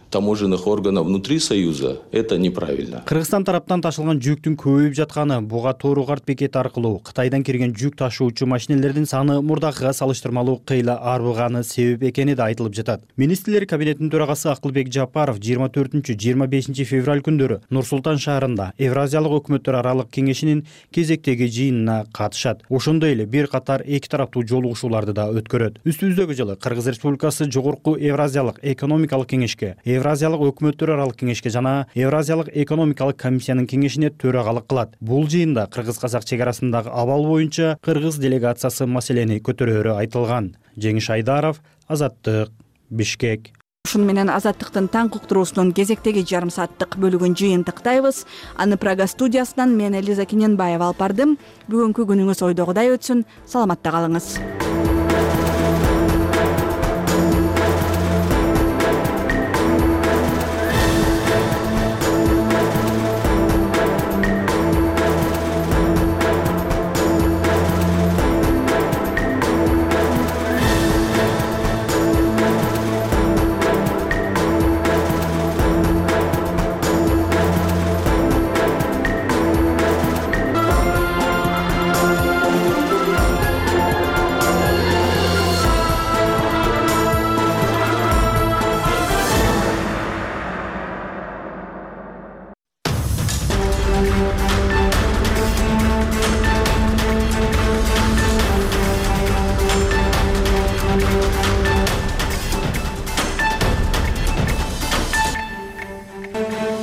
Таможенных органов внутри Союза это неправильно. Кыргызстан тараптан ташылган жүктүн көбөйүп жатканы, буга Тоо карт бекети аркылуу Кытайдан кирген жүк ташуучу машинелердин саны мурдакыга салыштырмалуу кыйла арбыганы себеп экени да айтылып жатат. Министрлер кабинетинин төрагасы Акылбек Жапаров жыйырма төртүнчү жыйырма бешинчи февраль күндөрү Нур-Султан шаарында Евразиялык өкмөттөр аралык кеңешинин кезектеги жыйынына катышат. Ошондой эле бир катар эки тараптуу жолугушууларды да өткөрөт. Үстүбүздөгү жылы Кыргыз Республикасы Жогорку Евразиялык экономикалык кеңешке, Евразиялык өкмөттөр аралык кеңешке жана Евразиялык экономикалык комиссиянын кеңешине төрагалык кылат. Бул жыйында кыргыз-казак чек арасындагы абал боюнча кыргыз делегациясы маселени көтөрөөрү айтылган. Жеңиш Айдаров, Азаттык, Бишкек. Ушун менен Азаттыктын таң уктуруусунун кезектеги жарым сааттык бөлүгүн жыйынтыктайбыз. Аны Прага студиясынан мен Элиза Киненбаева алып бардым. Бүгүнкү күнүңүз ойдогудай өтсүн. Саламатта калыңыз.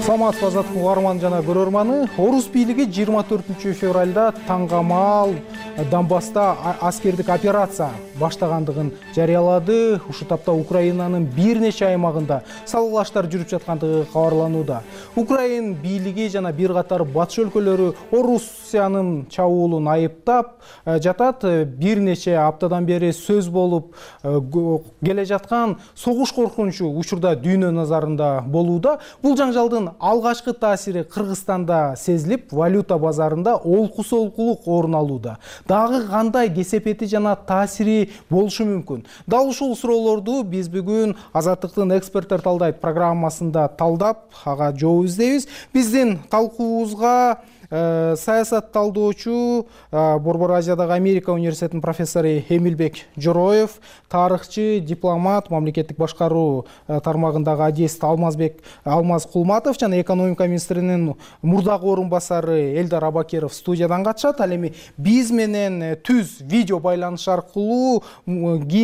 саламатсызбы азаттык угарман жана көрөрманы. Орус бийлиги жыйырма төртүнчү февралда таңгамал Донбасста аскердик операция баштагандыгын жарыялады. Ушул тапта Украинанын бир нече аймагында салгылаштар жүрүп жаткандыгы кабарланууда. Украин бийлиги жана бир катар батыш өлкөлөрү Орусиянын чабуулун айыптап жатат. Бир нече аптадан бери сөз болуп келе жаткан согуш коркунучу учурда дүйнө назарында болууда. Бул жаңжалдын алгачкы таасири Кыргызстанда сезилип, валюта базарында олку-солкулук орун алууда. Дагы кандай кесепети жана таасири болушу мүмкүн? Дал ушул суроолорду биз бүгүн Азаттыктын эксперттер талдайт программасында талдап, ага жооп издейбиз. Биздин талкуубузга саясат талдоочу, Борбор Азиядагы Америка университетинин профессору Эмилбек Жороев, тарыхчы, дипломат, мамлекеттик башкаруу тармагындагы адист Алмазбек Алмаз Кулматов жана экономика министринин мурдагы орун басары Элдар Абакеров студиядан катышат. Ал эми биз менен түз видео байланыш аркылуу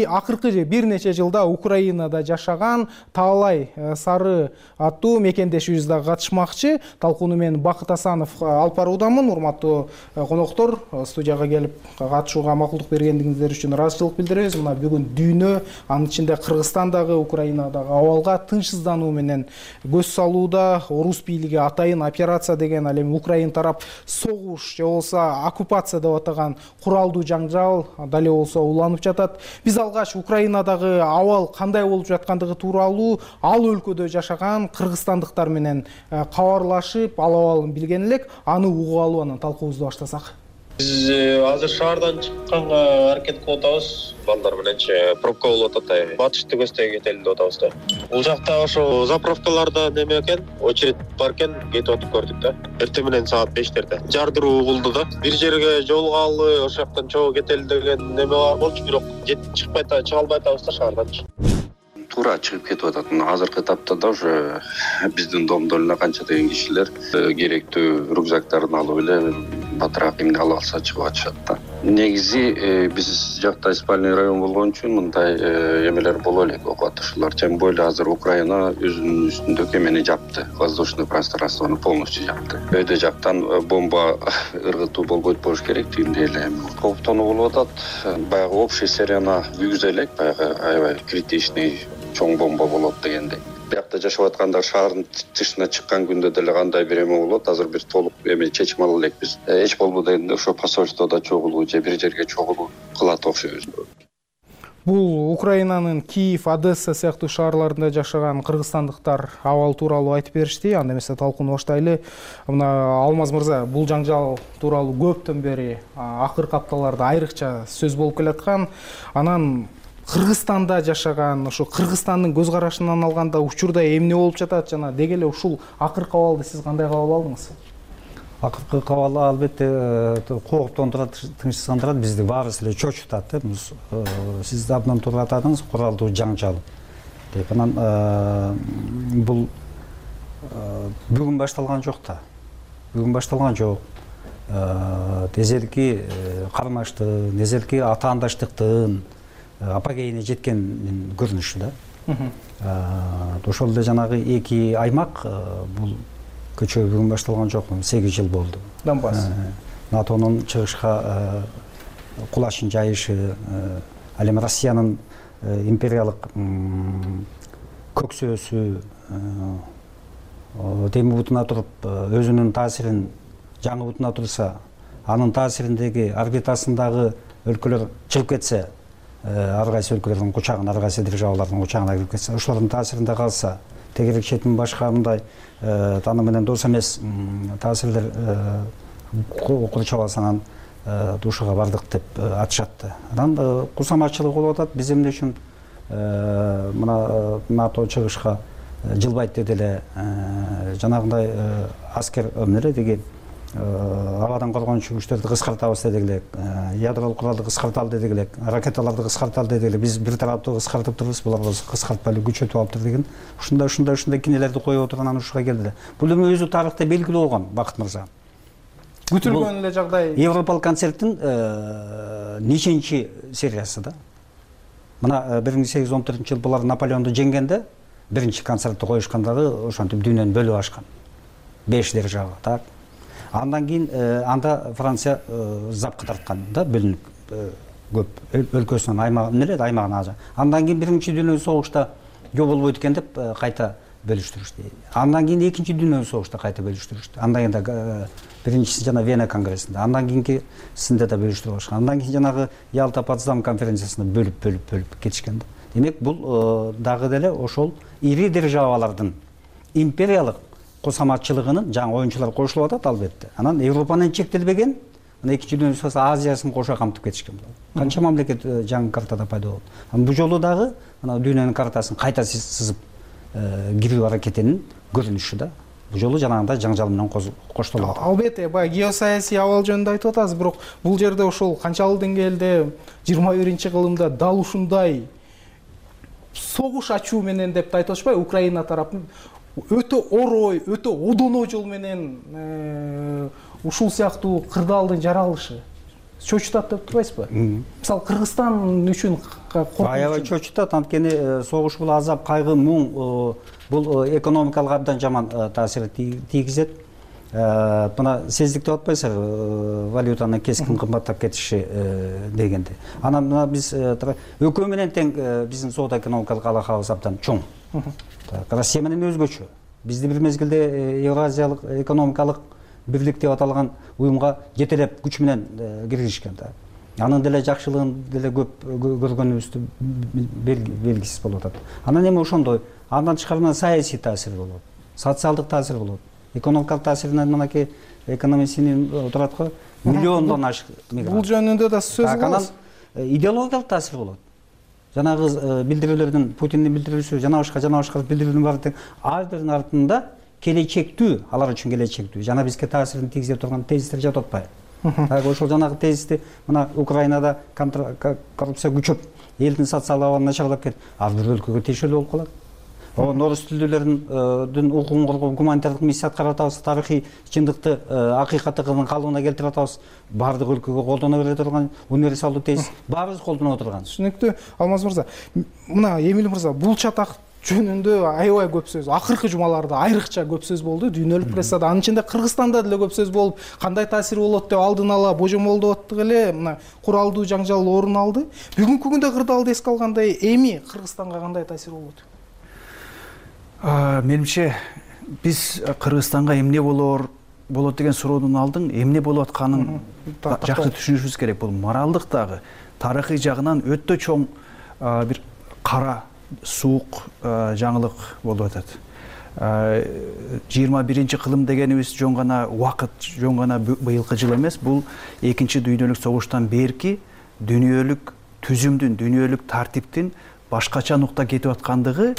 акыркы бир нече жылда Украинада жашаган Таалай Сары аттуу мекендешибиз дагы катышмакчы. Талкууну мен Бакыт Асанов алып баруудамын. Урматтуу коноктор, студияга келип катышууга макулдук бергендиңиздер үчүн ыраазычылык билдиребиз. Мына бүгүн дүйнө, анын ичинде Кыргызстандагы, Украинадагы абалга тынчсыздануу менен көз салууда. Орус бийлиги атайын операция деген, ал эми Украин тарап согуш же болбосо оккупация деп атаган куралдуу жаңжал дал эле болсо уланып жатат. Биз алгач Украинадагы абал кандай болуп жаткандыгы тууралуу ал өлкөдө жашаган кыргызстандыктар менен кабарлашып, ал абалын билген элек. Аны угуп алып анан талкуубузду баштасак. Биз азыр шаардан чыкканга аракет кылып атабыз. Балдар мененчи пробка болуп атат. Батышты көздөй кетели деп атабыз да. Бул жакта ошо заправкаларда неме экен, очередь бар экен, кетип отуп көрдүк да. Эртең менен саат бештерде. Жардыруу угулду да. Бир жерге жолугалы, ошол жактан чогуу кетели деген неме бар болчу, бирок жетип чыкпай атабыз, чыга албай атабыз да шаарданчы. Туура чыгып кетип атат. Азыркы тапта да уже биздин домдо эле канча деген кишилер керектүү рюкзактарын алып эле батыраак эмне ала алса чыгып атышат да. Негизи биз жакта спальный район болгон үчүн мындай эмелер боло элек, окуп атышуулар. Тем более азыр Украина өзүнүн үстүндөгү эмени жапты. Воздушный пространствону полностью жапты. Өйдө жактан бомба ыргытуу болбойт болуш керек тигиндей эле. Кооптонуу болуп атат. Баягы общий серияна күйгүзө элек, баягы аябай критичный чоң бомба болот дегендей. Биякта жашап атканда шаардын тышына чыккан күндө деле кандай бир эме болот, азыр бир толук эме чечим ала элекпиз. Эч болбодо эми ошо посольстводо чогулуу же бир жерге чогулуу кылат окшойбуз. Бул Украинанын Киев, Одесса сыяктуу шаарларында жашаган кыргызстандыктар абал тууралуу айтып беришти. Анда эмесе талкууну баштайлы. Мына Алмаз мырза, бул жаңжал тууралуу көптөн бери акыркы апталарда айрыкча сөз болуп келаткан. Анан Кыргызстанда жашаган, ошо Кыргызстандын көз карашынан алганда учурда эмне болуп жатат жана деги эле ушул акыркы абалды сиз кандай кабыл алдыңыз? Акыркы кабыл албетте кооптондурат, тынчсыздандырат, бизди баарыбыз эле чочутат. Сиз абдан туура атадыңыз, куралдуу жаңжал деп. Анан бул бүгүн башталган жок да. Бүгүн башталган жок. Эзелки кармаштык, эзелки атаандаштыктын апогейине жеткен көрүнүшү да. Ошол эле жанагы эки аймак, бул көчө бүгүн башталган жок, сегиз жыл болду. Донбасс. НАТОнун чыгышка кулашын жайышы, ал эми Россиянын империялык көксөөсү теми бутуна туруп өзүнүн таасирин жаңы бутуна турса, анын таасириндеги орбитасындагы өлкөлөр чыгып кетсе, ар кайсы өлкөлөрдүн кучагына, ар кайсы державалардын кучагына кирип кетсе, ошолордун таасиринде калса, тегерек четин башка мындай аны менен дос эмес таасирлер курчап алсаңан душуга бардык деп атышат. Анан кусаматчылык болуп атат. Биз эмне үчүн мына НАТО чыгышка жылбайт деди эле, жанагындай аскер эмне деги абадан коргонуучу күчтөрдү кыскартабыз дедик элек, ядролук куралды кыскарталы дедик элек, ракеталарды кыскарталы дедик элек. Биз бир тараптуу кыскартып турбуз, булар болсо кыскартпай эле күчөтүп алыптыр деген. Ушундай ушундай ушундай кинелерди коюп отурган анан ушуга келди. Бул эми өзү тарыхта белгилүү болгон, Бакыт мырза. Күтүлгөн эле жагдай. Европалык концерттин нечинчи сериясы да. Мына бир миң сегиз жүз он төртүнчү жылы булар Наполеонду жеңгенде биринчи концертти коюшкандагы ошентип дүйнөнү бөлүп ашкан. беш держава, так. Андан кийин анда Франция запка тарткан да, бөлүнүп көп өлкөсүнөн аймагын эле аймагын ажа. Андан кийин биринчи дүйнөлүк согушта жок болбойт экен деп кайта бөлүштүрүштү. Андан кийин экинчи дүйнөлүк согушта кайта бөлүштүрүштү. Андан кийин биринчиси жана Вена конгрессинде, андан кийинкисинде да бөлүштүрүп алышкан. Андан кийин жанагы Ялта Потсдам конференциясында бөлүп бөлүп бөлүп кетишкен да. Демек бул дагы деле ошол ири державалардын империялык кошаматчылыгынын жаңы оюнчулар кошулуп атат албетте. Анан Европанын чектелбеген, мына экинчи дүйнөлүк согушта Азиясын кошо камтып кетишкен. Канча мамлекет жаңы картада пайда болду. Анан бул жолу дагы мына дүйнөнүн картасын кайта сызып кирүү аракетинин көрүнүшү да. Бул жолу жанагындай жаңжал менен коштолуп атат. Албетте, баягы геосаясий абал жөнүндө айтып атасыз, бирок бул жерде ошол канчалык деңгээлде жыйырма биринчи кылымда дал ушундай согуш ачуу менен деп айтып атышпайбы, Украина тарапы өтө орой, өтө одоно жол менен ушул сыяктуу кырдаалдын жаралышы чочутат деп турбайсызбы? Мисалы Кыргызстан үчүн аябай чочутат, анткени согуш бул азап, кайгы, муң, бул экономикалык абдан жаман таасир тийгизет. Мына сездик деп атпайсызбы, валютанын кескин кымбаттап кетиши дегенде. Анан мына биз экөө менен тең биздин соода экономикалык алакабыз абдан чоң. Россия менен өзгөчө. Бизди бир мезгилде Евразиялык экономикалык бирлик деп аталган уюмга жетелеп күч менен киргизишкен да. Анын деле жакшылыгын деле көп көргөнүбүздү белгисиз болуп атат. Анан эми ошондой, андан тышкары саясий таасир болот, социалдык таасир болот. Экономикалык таасиринен мынакей экономистин турат го, миллиондон ашык мигрант. Бул жөнүндө да сөз кылабыз. Идеологиялык таасир болот. Жанагы билдирүүлөрдүн, Путиндин билдирүүсү, жана башка жана башка билдирүүнүн баары тең ар биринин артында келечектүү, алар үчүн келечектүү, жана бизге таасирин тийгизе турган тезистер жатып атпайбы? Так ошол жанагы тезисти мына Украинада коррупция күчөп, элдин социалдык абалы начарлап кетип, ар бир өлкөгө тиешелүү болуп калат. Орус тилдүүлөрдүн укугун коргоо гуманитардык миссия аткарып атабыз, тарыхый чындыкты, акыйкаттыгын калыбына келтирип атабыз. Баардык өлкөгө колдоно бере турган универсалдуу тезис баарыбыз колдонуп отурган. Түшүнүктүү. Алмаз мырза, мына Эмил мырза, бул чатак жөнүндө аябай көп сөз, акыркы жумаларда айрыкча көп сөз болду, дүйнөлүк прессада, анын ичинде Кыргызстанда деле көп сөз болуп, кандай таасир болот деп алдын ала божомолдоп аттык эле, мына куралдуу жаңжал орун алды. Бүгүнкү күндө кырдаалды эске алгандай, эми Кыргызстанга кандай таасир болот? Менимче биз Кыргызстанга эмне болор болот деген суроодун алдын эмне болуп атканын жакшы түшүнүшүбүз керек. Бул моралдык дагы, тарыхый жагынан өтө чоң бир кара суук жаңылык болуп атат. жыйырма биринчи кылым дегенибиз жөн гана убакыт, жөн гана быйылкы жыл эмес, бул экинчи дүйнөлүк согуштан берки дүйнөлүк түзүмдүн, дүйнөлүк тартиптин башкача нукта кетип аткандыгы,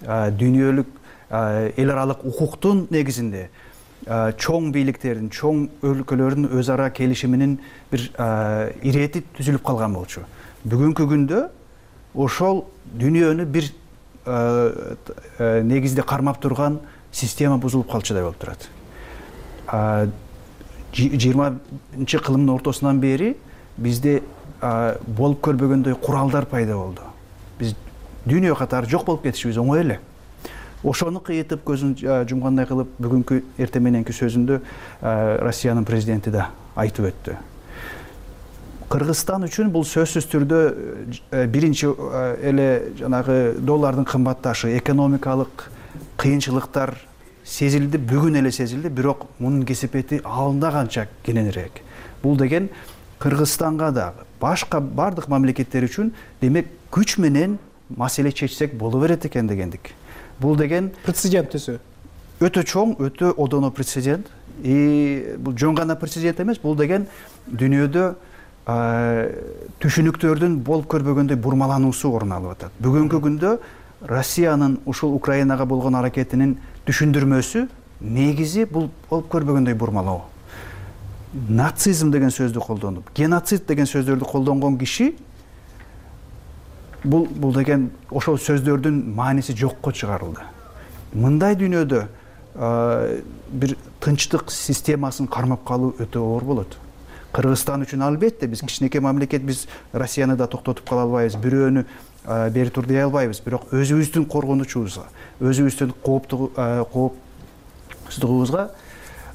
дүйнөлүк эл аралык укуктун негизинде чоң бийликтердин, чоң өлкөлөрдүн өз ара келишиминин бир ирети түзүлүп калган болчу. Бүгүнкү күндө ошол дүйнөнү бир негизде кармап турган система бузулуп калчудай болуп турат. жыйырманчы кылымдын ортосунан бери бизде болуп көрбөгөндөй куралдар пайда болду. Биз дүйнө катары жок болуп кетишибиз оңой эле. Ошону кыйытып көзүн жумгандай кылып бүгүнкү эртең мененки сөзүндө Россиянын президенти да айтып өттү. Кыргызстан үчүн бул сөзсүз түрдө биринчи эле жанагы доллардын кымбатташы, экономикалык кыйынчылыктар сезилди, бүгүн эле сезилди, бирок мунун кесепети алында канча кененирээк. Бул деген Кыргызстанга дагы, башка бардык мамлекеттер үчүн демек күч менен маселе чечсек боло берет экен дегендик. Бул деген прецедент төсө. Өтө чоң, өтө одоно прецедент. И бул жөн гана прецедент эмес, бул деген дүйнөдө түшүнүктөрдүн болуп көрбөгөндөй бурмалануусу орун алып атат. Бүгүнкү күндө Россиянын ушул Украинага болгон аракетинин түшүндүрмөсү негизи бул болуп көрбөгөндөй бурмалоо. Нацизм деген сөздү колдонуп, геноцид деген сөздөрдү колдонгон киши бул бул деген ошол сөздөрдүн мааниси жокко чыгарылды. Мындай дүйнөдө бир тынчтык системасын кармап калуу өтө оор болот. Кыргызстан үчүн албетте биз кичинекей мамлекет, биз Россияны да токтотуп кала албайбыз, бирөөнү бери тур дей албайбыз, бирок өзүбүздүн коргонучубузга, өзүбүздүн кооптугубузга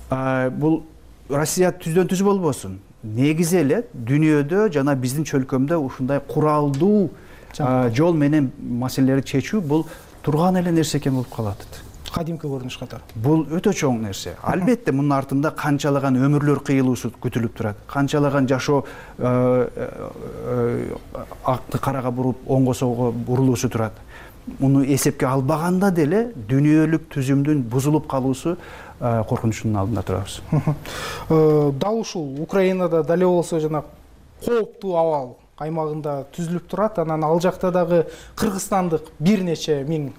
бул Россия түздөн түз болбосун, негизи эле дүйнөдө жана биздин чөлкөмдө ушундай куралдуу жол менен маселелерди чечүү бул турган эле нерсе экен болуп калат. Кадимки көрүнүш катары. Бул өтө чоң нерсе. Албетте мунун артында канчалаган өмүрлөр кыйылуусу күтүлүп турат. Канчалаган жашоо акты карага буруп, оңго солго бурулуусу турат. Муну эсепке албаганда деле дүйнөлүк түзүмдүн бузулуп калуусу коркунучунун алдында турабыз. Дал ушул Украинада дале болсо жана кооптуу абал аймагында түзүлүп турат. Анан ал жакта дагы кыргызстандык бир нече миң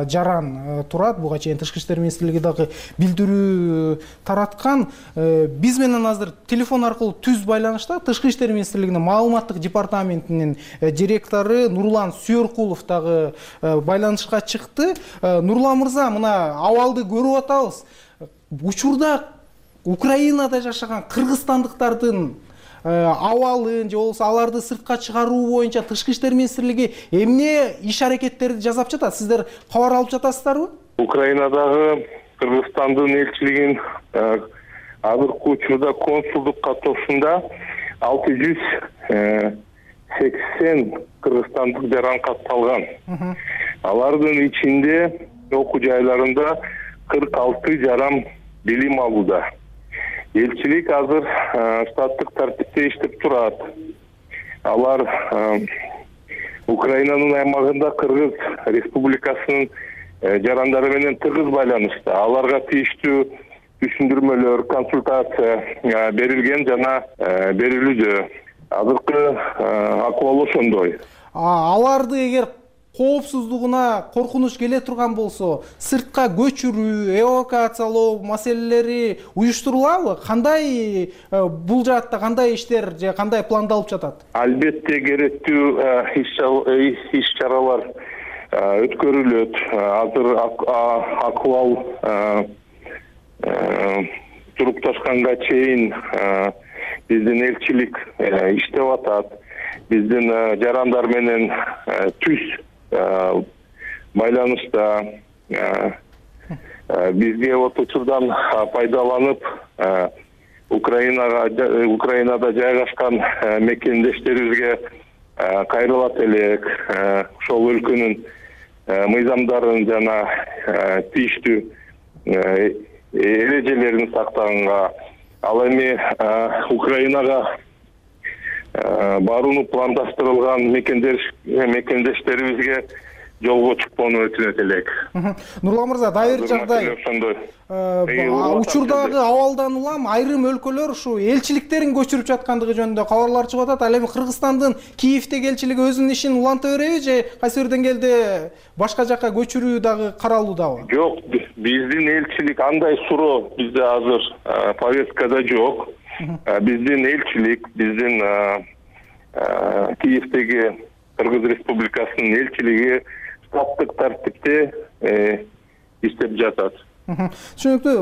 жаран турат. Буга чейин Тышкы иштер министрлиги дагы билдирүү тараткан. Биз менен азыр телефон аркылуу түз байланышта Тышкы иштер министрлигинин маалыматтык департаментинин директору Нурлан Сүйөркулов дагы байланышка чыкты. Нурлан мырза, мына абалды көрүп атабыз. Учурда Украинада жашаган кыргызстандыктардын абалын же болбосо аларды сыртка чыгаруу боюнча Тышкы иштер министрлиги эмне иш аракеттерди жасап жатат? Сиздер кабар алып жатасыздарбы? Украинадагы Кыргызстандын элчилигинин азыркы учурда консулдук каттоосунда алты жүз сексен кыргызстандык жаран катталган. Алардын ичинде окуу жайларында кырк алты жаран билим алууда. Элчилик азыр штаттык тартипте иштеп турат. Алар Украинанын аймагында Кыргыз Республикасынын жарандары менен тыгыз байланышта. Аларга тийиштүү түшүндүрмөлөр, консультация берилген жана берилүүдө. Азыркы акыбал ошондой. Аларды эгер коопсуздугуна коркунуч келе турган болсо, сыртка көчүрүү, эвакуациялоо маселелери уюштурулабы? Кандай бул жаатта кандай иштер же кандай пландалып жатат? Албетте керектүү иш чаралар өткөрүлөт. Азыр акыбал турукташканга чейин биздин элчилик иштеп атат. Биздин жарандар менен түз байланышта. Бизге вот учурдан пайдаланып Украинага Украинада жайгашкан мекендештерибизге кайрылат элек. Ошол өлкөнүн мыйзамдарын жана тийиштүү эрежелерин сактаганга, ал эми Украинага барууну пландаштырылган мекендештерибизге жолго чыкпоону өтүнөт элек. Нурлан мырза, дайыр жагдай учурдагы абалдан улам айрым өлкөлөр ушу элчиликтерин көчүрүп жаткандыгы жөнүндө кабарлар чыгып атат. Ал эми Кыргызстандын Киевдеги элчилиги өзүнүн ишин уланта береби же кайсы бир деңгээлде башка жакка көчүрүү дагы каралуудабы? Жок, биздин элчилик андай суроо бизде азыр повесткада жок. Биздин элчилик, биздин Киевдеги Кыргыз Республикасынын элчилиги штаттык тартипте иштеп жатат. Түшүнүктүү.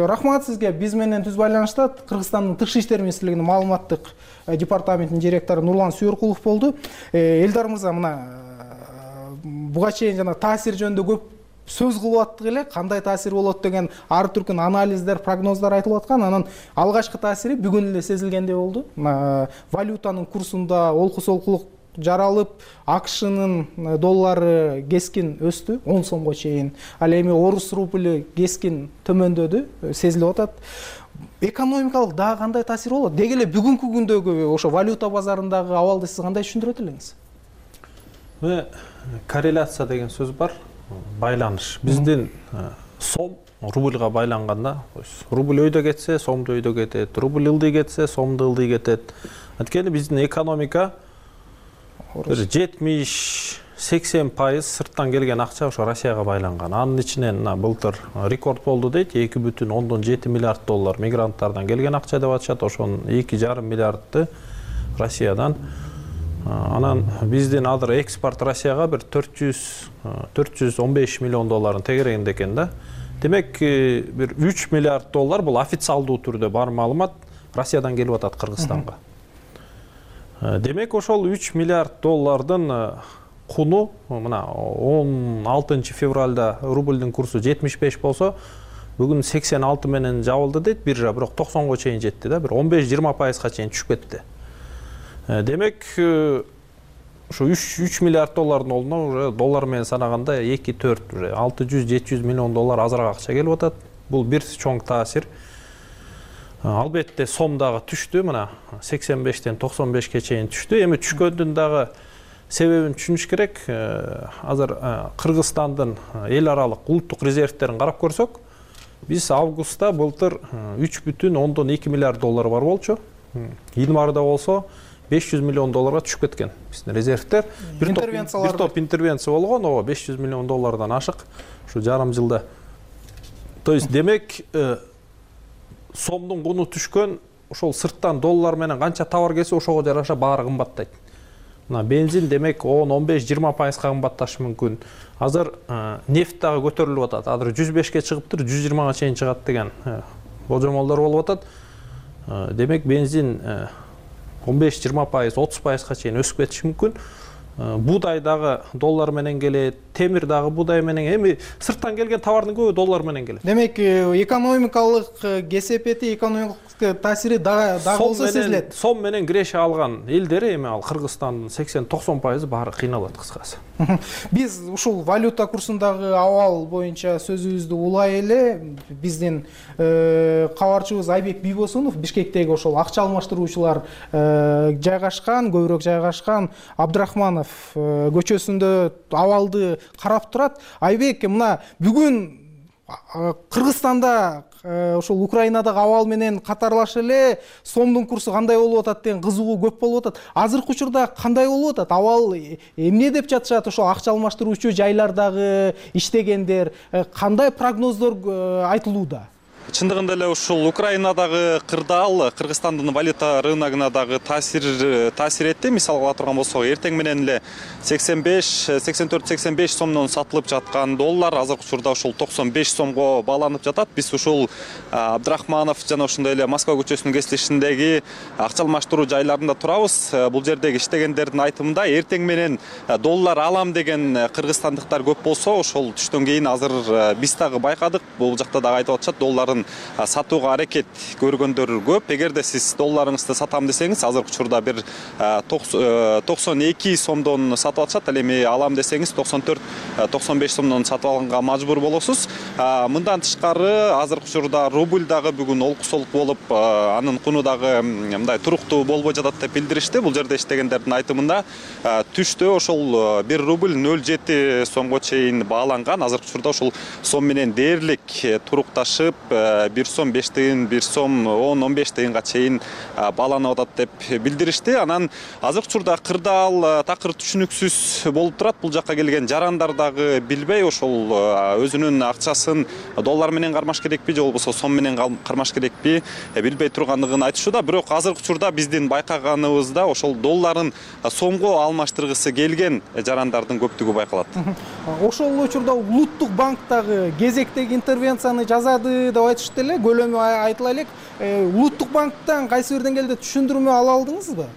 Рахмат сизге. Биз менен түз байланышта Кыргызстандын Тышкы иштер министрлигинин маалыматтык департаментинин директору Нурлан Сүйөркулов болду. Элдар мырза, мына буга чейин жана таасир жөнүндө көп сөз кылып аттык эле. Кандай таасир болот деген ар түркүн анализдер, прогноздар айтылып аткан. Анан алгачкы таасири бүгүн эле сезилгендей болду. Валютанын курсунда олку-солкулук жаралып, АКШнын доллары кескин өстү, он сомго чейин. Ал эми орус рубль кескин төмөндөдү, сезилип атат. Экономикалык дагы кандай таасир болот? Деги эле бүгүнкү күндөгү ошо валюта базарындагы абалды сиз кандай түшүндүрөт элеңиз? Корреляция деген сөз бар. Байланыш. Биздин сом рубльга байланганда, рубль өйдө кетсе, сомду өйдө кетет, рубль ылдый кетсе, сомду ылдый кетет. Анткени биздин экономика жетимиш сексен пайыз сырттан келген акча ошо Россияга байланган. Анын ичинен былтыр рекорд болду дейт, эки бүтүн ондон жети миллиард доллар мигранттардан келген акча деп атышат. Ошонун эки жарым миллиардты Россиядан. Анан биздин азыр экспорт Россияга бир төрт жүз он беш миллион долларын тегерегинде экен да. Демек, бир үч миллиард доллар бул официалдуу түрдө бар маалымат Россиядан келип атат Кыргызстанга. Демек, ошол үч миллиард доллардын куну мына он алтынчы февралда рубльдин курсу жетимиш беш болсо, бүгүн сексен алты менен жабылды дейт биржа, бирок токсонго чейин жетти да, бир он беш жыйырма пайызга чейин түшүп кетти. Демек ушу үч миллиард доллардын ордуна уже доллар менен санаганда эки төрт уже алты жүз жети жүз миллион доллар азыраак акча келип атат. Бул бир чоң таасир. Албетте сом дагы түштү, мына сексен бештен токсон бешке чейин түштү. Эми түшкөндүн дагы себебин түшүнүш керек. Азыр Кыргызстандын эл аралык улуттук резервтерин карап көрсөк, биз августта былтыр үч бүтүн ондон эки миллиард доллар бар болчу. Январда болсо беш жүз миллион долларга түшүп кеткен биздин резервтер. Бир топ интервенция болгон, ооба беш жүз миллион доллардан ашык ушу жарым жылда. То есть демек сомдун куну түшкөн, ошол сырттан доллар менен канча товар келсе ошого жараша баары кымбаттайт. Мына бензин демек он он беш жыйырма пайызга кымбатташы мүмкүн. Азыр нефт дагы көтөрүлүп атат. Азыр жүз бешке чыгыптыр, жүз жыйырмага чейин чыгат деген болжомолдор болуп атат. Демек бензин он беш жыйырма пайыз, отуз пайызга чейин өсүп кетиши мүмкүн. Будай дагы доллар менен келет, темир дагы будай менен, эми сырттан келген товардын көбү доллар менен келет. Демек экономикалык кесепети, экономикалык таасири дагы болсо сезилет. Сом менен киреше алган элдер, эми ал Кыргызстандын сексен токсон пайызы баары кыйналат кыскасы. Биз ушул валюта курсундагы абал боюнча сөзүбүздү улай эле биздин кабарчыбыз Айбек Бийбосунов Бишкектеги ошол акча алмаштыруучулар жайгашкан, көбүрөөк жайгашкан Абдрахманов көчөсүндө абалды карап турат. Айбек, мына бүгүн Кыргызстанда ошол Украинадагы абал менен катарлаш эле сомдун курсу кандай болуп атат деген кызыгуу көп болуп атат. Азыркы учурда кандай болуп атат? Абал эмне деп жатышат ошол акча алмаштыруучу жайлардагы иштегендер? Кандай прогноздор айтылууда? Чындыгында эле ушул Украинадагы кырдаал Кыргызстандын валюта рыногуна дагы таасир таасир этти. Мисалга ала турган болсок, эртең менен эле сексен беш, сексен төрт, сексен беш сомдон сатылып жаткан доллар азыркы учурда ушул токсон беш сомго бааланып жатат. Биз ушул Абдрахманов жана ошондой эле Москва көчөсүнүн кесилишиндеги акча алмаштыруу жайларында турабыз. Бул жердеги иштегендердин айтымында эртең менен доллар алам деген кыргызстандыктар көп болсо, ошол түштөн кийин азыр биз дагы байкадык. Бул жакта дагы айтып атышат, долларын сатууга аракет көргөндөр көп. Эгерде сиз долларыңызды сатам десеңиз, азыркы учурда бир токсон эки сомдон сатып атышат. Ал эми алам десеңиз токсон төрт, токсон беш сомдон сатып алганга мажбур болосуз. Мындан тышкары азыркы учурда рубль дагы бүгүн олку-солку болуп, анын куну дагы мындай туруктуу болбой жатат деп билдиришти. Бул жерде иштегендердин айтымында түштө ошол бир рубль нөл жети сомго чейин бааланган. Азыркы учурда ошол сом менен дээрлик турукташып, бир сом беш тыйын, бир сом он он беш тыйынга чейин бааланып атат деп билдиришти. Анан азыркы учурда кырдаал такыр түшүнүксүз болуп турат. Бул жакка келген жарандар дагы билбей, ошол өзүнүн акчасын доллар менен кармаш керекпи же болбосо сом менен кармаш керекпи билбей тургандыгын айтышууда. Бирок азыркы учурда биздин байкаганыбызда ошол долларын сомго алмаштыргысы келген жарандардын көптүгү байкалат. Ошол учурда улуттук банк дагы кезектеги интервенцияны жазады деп айтышты эле. Көлөмү айтыла элек. Улуттук банктан кайсы бир деңгээлде түшүндүрмө ала алдыңызбы?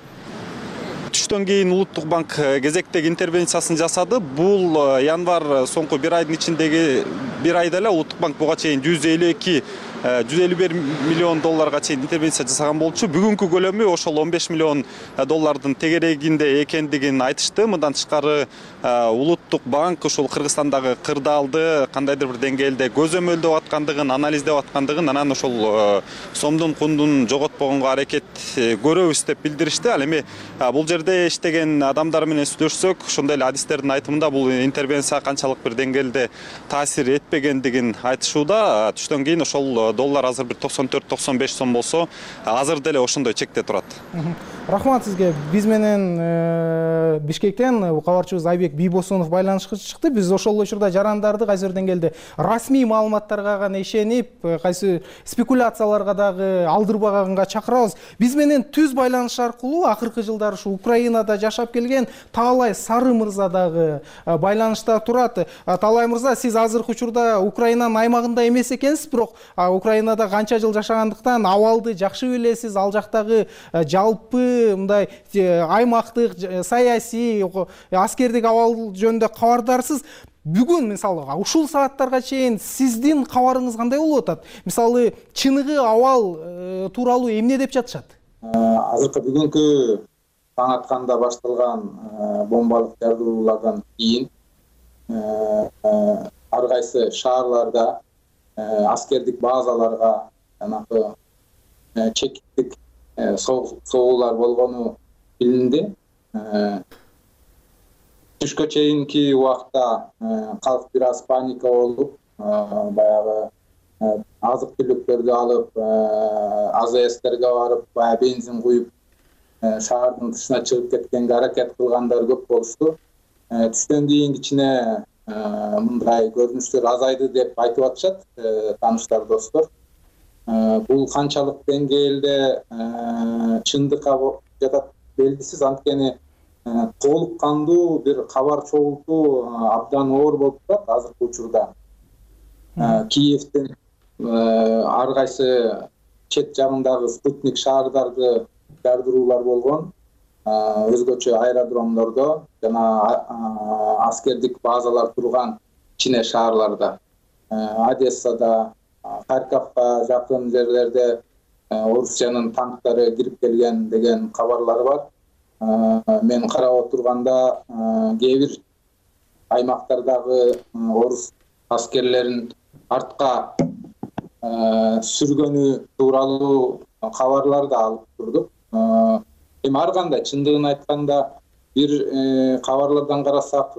Түштөн кийин улуттук банк кезектеги интервенциясын жасады. Бул январь соңку бир айдын ичиндеги бир айда эле улуттук банк буга чейин жүз элүү эки жүз элүү бир миллион долларга чейин интервенция жасаган болчу. Бүгүнкү көлөмү ошол он беш миллион доллардын тегерегинде экендигин айтышты. Мындан тышкары улуттук банк ошол Кыргызстандагы кырдаалды кандайдыр бир деңгээлде көзөмөлдөп аткандыгын, анализдеп аткандыгын, анан ошол сомдун кундун жоготпогонго аракет көрөбүз деп билдиришти. Ал эми бул жерде иштеген адамдар менен сүйлөшсөк, ошондой эле адистердин айтымында бул интервенция канчалык бир деңгээлде таасир этпегендигин айтышууда. Түштөн кийин ошол доллар азыр бир токсон төрт токсон беш сом болсо, азыр деле ошондой чекте турат. Рахмат сизге. Биз менен Бишкектен кабарчыбыз Айбек Бийбосунов байланышка чыкты. Биз ошол учурда жарандарды кайсы бир деңгээлде расмий маалыматтарга гана ишенип, кайсы спекуляцияларга дагы алдырбаганга чакырабыз. Биз менен түз байланыш аркылуу акыркы жылдары ушу Украинада жашап келген Таалай Сары мырза дагы байланышта турат. Таалай мырза, сиз азыркы учурда Украинанын аймагында эмес экенсиз, бирок Украинада канча жыл жашагандыктан абалды жакшы билесиз. Ал жактагы жалпы мындай аймактык, саясий, аскердик абал жөнүндө кабардарсыз. бүгүн мисалы ушул сааттарга чейин сиздин кабарыңыз кандай болуп атат? Мисалы чыныгы абал тууралуу эмне деп жатышат? Азыркы бүгүнкү таң атканда башталган бомбалык жардыруулардан кийин ар кайсы шаарларда аскердик базаларга жанагы чекиттик согуулар болгону билинди. Түшкө чейинки убакта калк бир аз паника болуп, баягы азык түлүктөрдү алып, АЗСтерге барып, баягы бензин куюп, шаардын тышына чыгып кеткенге аракет кылгандар көп болушту. Түштөн кийин кичине мындай көрүнүштөр азайды деп айтып атышат тааныштар, достор. Бул канчалык деңгээлде чындыкка жатат белгисиз, анткени толук кандуу бир кабар чогултуу абдан оор болуп турат азыркы учурда. Киевдин ар кайсы чет жагындагы спутник шаардарды жардыруулар болгон, өзгөчө аэродромдордо жана аскердик базалар турган кичине шаарларда, Одессада, Харьковго жакын жерлерде Орусиянын танктары кирип келген деген кабарлар бар. Мен карап отурганда кээ бир аймактардагы орус аскерлерин артка сүргөнү тууралуу кабарлар да алып турдук. Эми ар кандай чындыгын айтканда бир кабарлардан карасак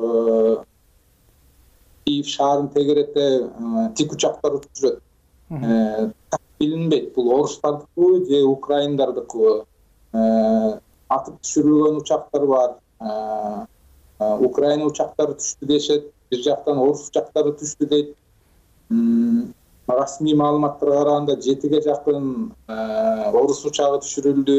Киев шаарын тегерете тик учактар учуп жүрөт. Билинбейт, бул орустардыкы же украиндардыкы. Атып түшүрүлгөн учактар бар. Украина учактары түштү дешет, бир жактан орус учактары түштү дейт. Расмий маалыматтарга караганда жетиге жакын орус учагы түшүрүлдү,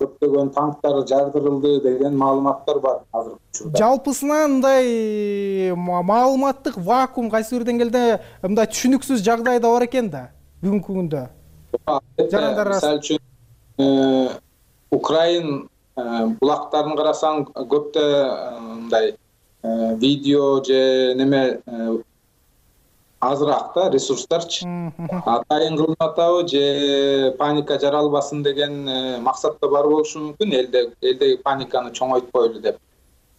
көптөгөн танктар жардырылды деген маалыматтар бар азыркы учурда. Жалпысынан мындай маалыматтык вакуум кайсы бир деңгээлде мындай түшүнүксүз жагдайда бар экен да бүгүнкү күндө. Мисалы үчүн Украин булактарын карасаң көптө мындай видео же неме азыраак да ресурстарчы. Атайын кылынып атабы же паника жаралбасын деген максатта бар болушу мүмкүн, элде элдеги паниканы чоңойтпойлу деп.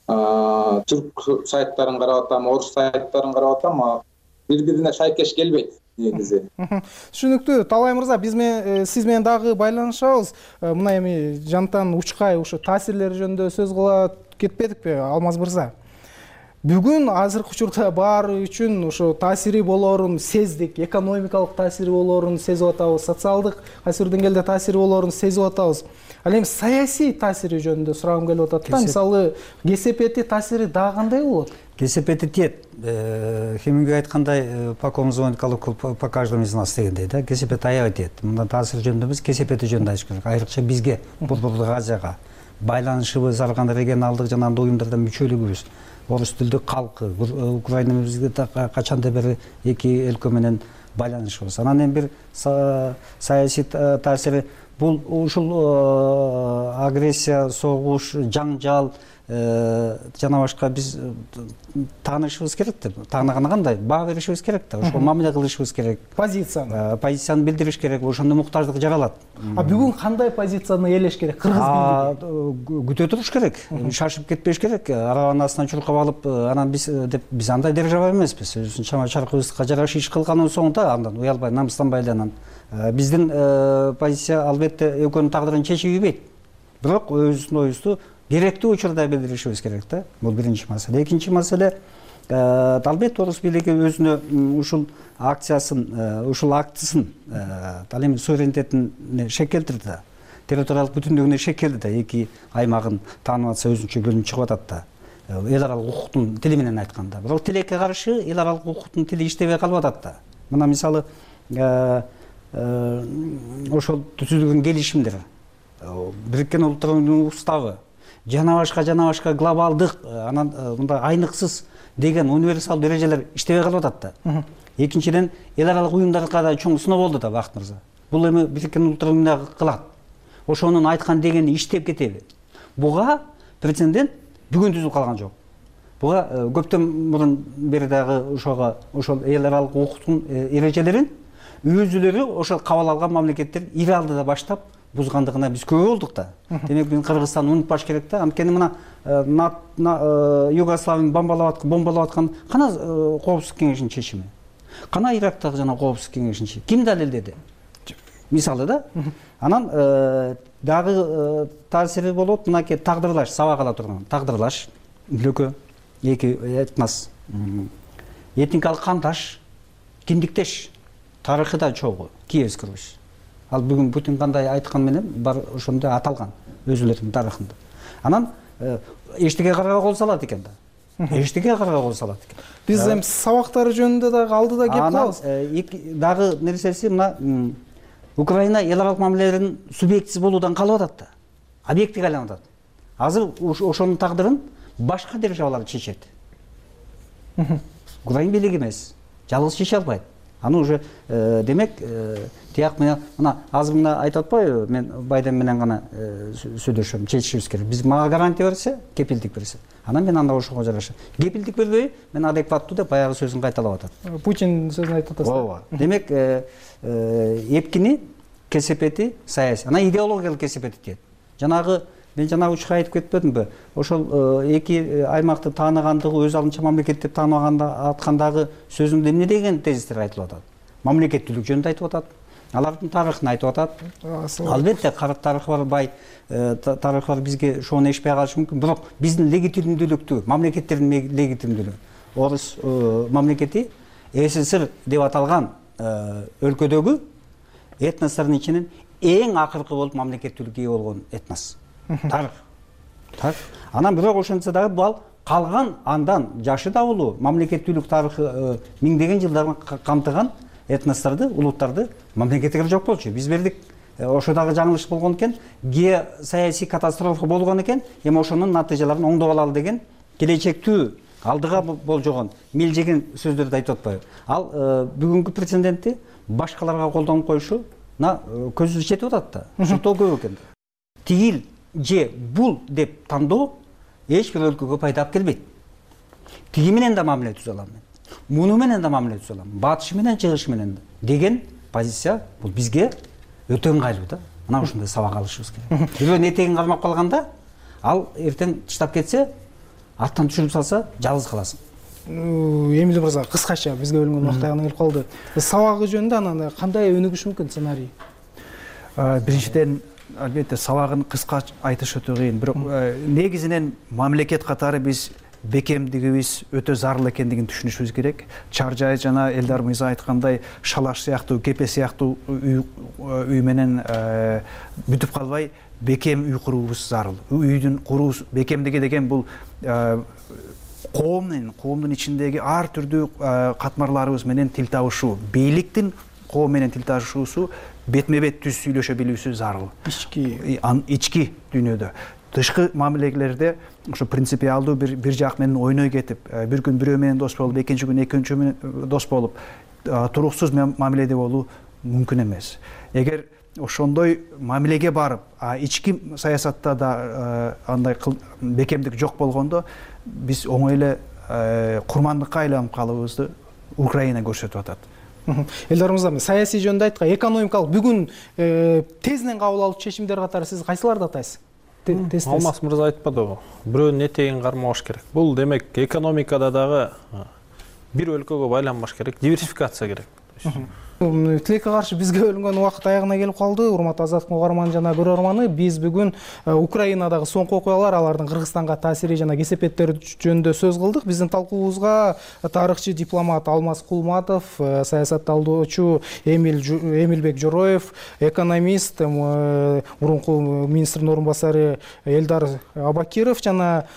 Түрк сайттарын карап атам, орус сайттарын карап атам, бири-бирине шайкеш келбейт негизи. Түшүнүктүү. Талай мырза, биз менен сиз менен дагы байланышабыз. Мына эми Жантан Учкай ушу таасирлери жөнүндө сөз кыла кетпедикпи, Алмаз мырза? Бүгүн азыркы учурда баары үчүн ошо таасири болоорун сездик, экономикалык таасири болоорун сезип атабыз, социалдык кайсы бир деңгээлде таасири болоорун сезип атабыз. Ал эми саясий таасири жөнүндө сурагым келип атат да. Мисалы, КСПти таасири дагы кандай болот? КСПти тиет. Хемингуэй айткандай, по кому звонит колокол, по каждому из нас дегендей да. КСПти аябай тиет. Мындан таасир жөнүндө эмес, КСПти жөнүндө айтыш керек. Айрыкча бизге, Борбордук Азияга байланышыбыз, ар кандай регионалдык жана уюмдардан мүчөлүгүбүз, орус тилдүү калкы, Украина бизге качандан бери эки өлкө менен байланышыбыз. Анан эми бир саясий таасири бул ушул агрессия, согуш, жаңжал жана башка биз таанышыбыз керек да. Таанаганы кандай? Баа беришибиз керек да. Ошол мамиле кылышыбыз керек. Позицияны. Позицияны билдириш керек. Ошондо муктаждык жаралат. А бүгүн кандай позицияны ээлеш керек? Кыргыз бийлиги күтө туруш керек. Шашып кетпеш керек. Арабанын астынан чуркап алып, анан биз деп биз андай держава эмеспиз. Өзүбүздүн чама чаркыбызга жараша иш кылганын соңунда андан уялбай, намыстанбай эле анан биздин позиция албетте экөөнүн тагдырын чечип ийбейт. Бирок өзүбүздүн оюбузду керектүү учурда билдиришибиз керек да. Бул биринчи маселе. Экинчи маселе, албетте орус бийлиги өзүнө ушул акциясын, ушул актысын, ал эми суверенитетине шек келтирди да. Территориялык бүтүндүгүнө шек келди да. Эки аймагын таанып атса өзүнчө бөлүнүп чыгып атат да. Эл аралык укуктун тили менен айтканда. Бирок тилекке каршы эл аралык укуктун тили иштебей калып атат да. Мына мисалы ошол түзүлгөн келишимдер, Бириккен Улуттар Уюмунун уставы, жана башка жана башка глобалдык, анан мындай айныксыз деген универсалдуу эрежелер иштебей калып атат да. Экинчиден, эл аралык уюмдарга да чоң сыноо болду да, Бакыт мырза. Бул эми Бириккен Улуттар Уюмуна кылат. Ошонун айткан дегени иштеп кетеби? Буга прецедент бүгүн түзүлүп калган жок. буга көптөн мурун бери дагы ошого ошол эл аралык укуктун эрежелерин өзүлөрү ошол кабыл алган мамлекеттер ири алдыда баштап бузгандыгына биз күбө болдук да. Демек биз Кыргызстанды унутпаш керек да. Анткени мына Югославияны бомбалап аткан, бомбалап аткан кана Коопсуздук кеңешинин чечими? Кана Ирактагы жана Коопсуздук кеңешинин чечими? Ким далилдеди? Мисалы да. Анан дагы таасири болот, мынакей тагдырлаш, сабак ала турган. Тагдырлаш, өлкө, эки этнос, этникалык кандаш, киндиктеш, тарыхы да чогуу, Киевский Русь. Ал бүгүн Путин кандай айткан менен бар ошондой аталган өзүлөрүнүн тарыхында. Анан эчтеке карга кол салат экен да. Эчтеке карга кол салат экен. Биз эми сабактары жөнүндө дагы алдыда кеп калабыз. Дагы нерсеси мына Украина эл аралык мамилелердин субъектиси болуудан калып атат да. Объектиге айланып атат. Азыр ошонун тагдырын башка державалар чечет. Украин бийлиги эмес. Жалгыз чече албайт. Аны уже демек тияк менен мына азыр мына айтып атпайбы, мен Байден менен гана сүйлөшөм, чечишибиз керек. Биз мага гарантия берсе, кепилдик берсе. Анан мен анда ошого жараша. Кепилдик бербей, мен адекваттуу деп баягы сөзүн кайталап атат. Путин сөзүн айтып атасыз. Ооба. Демек эпкини кесепети саясий, анан идеологиялык кесепети тиет. Жанагы мен жанагы учурда айтып кетпедимби? Ошол эки аймакты тааныгандыгы өз алдынча мамлекет деп тааныбаганда аткандагы сөзүндө эмне деген тезистер айтылып атат? Мамлекеттүүлүк жөнүндө айтып атат. Алардын тарыхын айтып атат. Албетте карак тарыхы бар, бай тарыхы бар, бизге шону эшпей калышы мүмкүн. Бирок биздин легитимдүүлүктү, мамлекеттердин легитимдүүлүгү. Орус мамлекети СССР деп аталган өлкөдөгү этностордун ичинен эң акыркы болуп мамлекеттүүлүккө ээ болгон этнос. Тарых. Так. Анан бирок ошентсе дагы бул калган андан жашы да улуу мамлекеттүүлүк тарыхы миңдеген жылдарын камтыган этносторду, улуттарды мамлекеттер жок болчу. Биз бердик. Ошо дагы жаңылыш болгон экен, геосаясий катастрофа болгон экен, эми ошонун натыйжаларын оңдоп алалы деген келечектүү алдыга болжогон милжеген сөздөрдү айтып атпайбы? Ал бүгүнкү прецедентти башкаларга колдонуп коюшуна көзүбүз жетип атат да. Ушунтоо көп экен. Тигил же бул деп тандоо эч бир өлкөгө пайда алып келбейт. Тиги менен да мамиле түзө алам мен. Муну менен да мамиле түзө алам. Батышы менен, чыгышы менен деген позиция бул бизге өтө ыңгайлуу да. Мына ушундай сабак алышыбыз керек. Бирөөнүн этегин кармап калганда, ал эртең таштап кетсе, аттан түшүрүп салса, жалгыз каласың. Эмил мырза, кыскача бизге бөлүнгөн убакыт аягына келип калды. Сабагы жөнүндө анан кандай өнүгүш мүмкүн сценарий? Биринчиден, албетте сабагын кыска айтыш өтө кыйын. Бирок негизинен мамлекет катары биз бекемдигибиз өтө зарыл экендигин түшүнүшүбүз керек. Чаржай жана Элдар мырза айткандай Шалаш сыяктуу, Кепе сыяктуу үй менен бүтүп калбай, бекем үй куруубуз зарыл. Үйдүн куруу бекемдиги деген бул коомдун, коомдун ичиндеги ар түрдүү катмарларыбыз менен тил табышуу, бийликтин коом менен тил табышуусу бетме-бет түз сүйлөшө билүүсү зарыл. Ички ички дүйнөдө. Тышкы мамилелерде ошо принципиалдуу бир бир жак менен ойной кетип, бир күн бирөө менен дос болуп, экинчи күн экинчи менен дос болуп, туруксуз мамиледе болуу мүмкүн эмес. Эгер ошондой мамилеге барып, ички саясатта да андай бекемдик жок болгондо, биз оңой эле курмандыкка айланып калыбызды Украина көрсөтүп атат. Элдар мырза, саясий жөнүндө айткан, экономикалык бүгүн тезинен кабыл алуу чечимдер катары сиз кайсыларды атайсыз? Алмаз мырза айтпадыбы? Бирөөнүн этегин кармабаш керек. Бул демек экономикада дагы бир өлкөгө байланбаш керек, диверсификация керек. Тилекке каршы бизге бөлүнгөн убакыт аягына келип калды. Урматтуу Азаттык угарман жана көрөрманы, биз бүгүн Украинадагы соңку окуялар, алардын Кыргызстанга таасири жана кесепеттери жөнүндө сөз кылдык. Биздин талкуубузга тарыхчы дипломат Алмаз Кулматов, саясатталуучу Эмилбек Жороев, экономист, мурунку министрдин орун басары Элдар Абакиров жана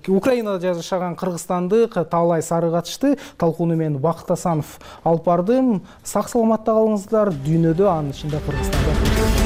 Украинада жашаган кыргызстандык Таалай Сары катышты. Талкууну мен Бакыт Асанов алып бардым. Сак саламатта калыңыздар. Дүйнөдө, анын ичинде Кыргызстанда.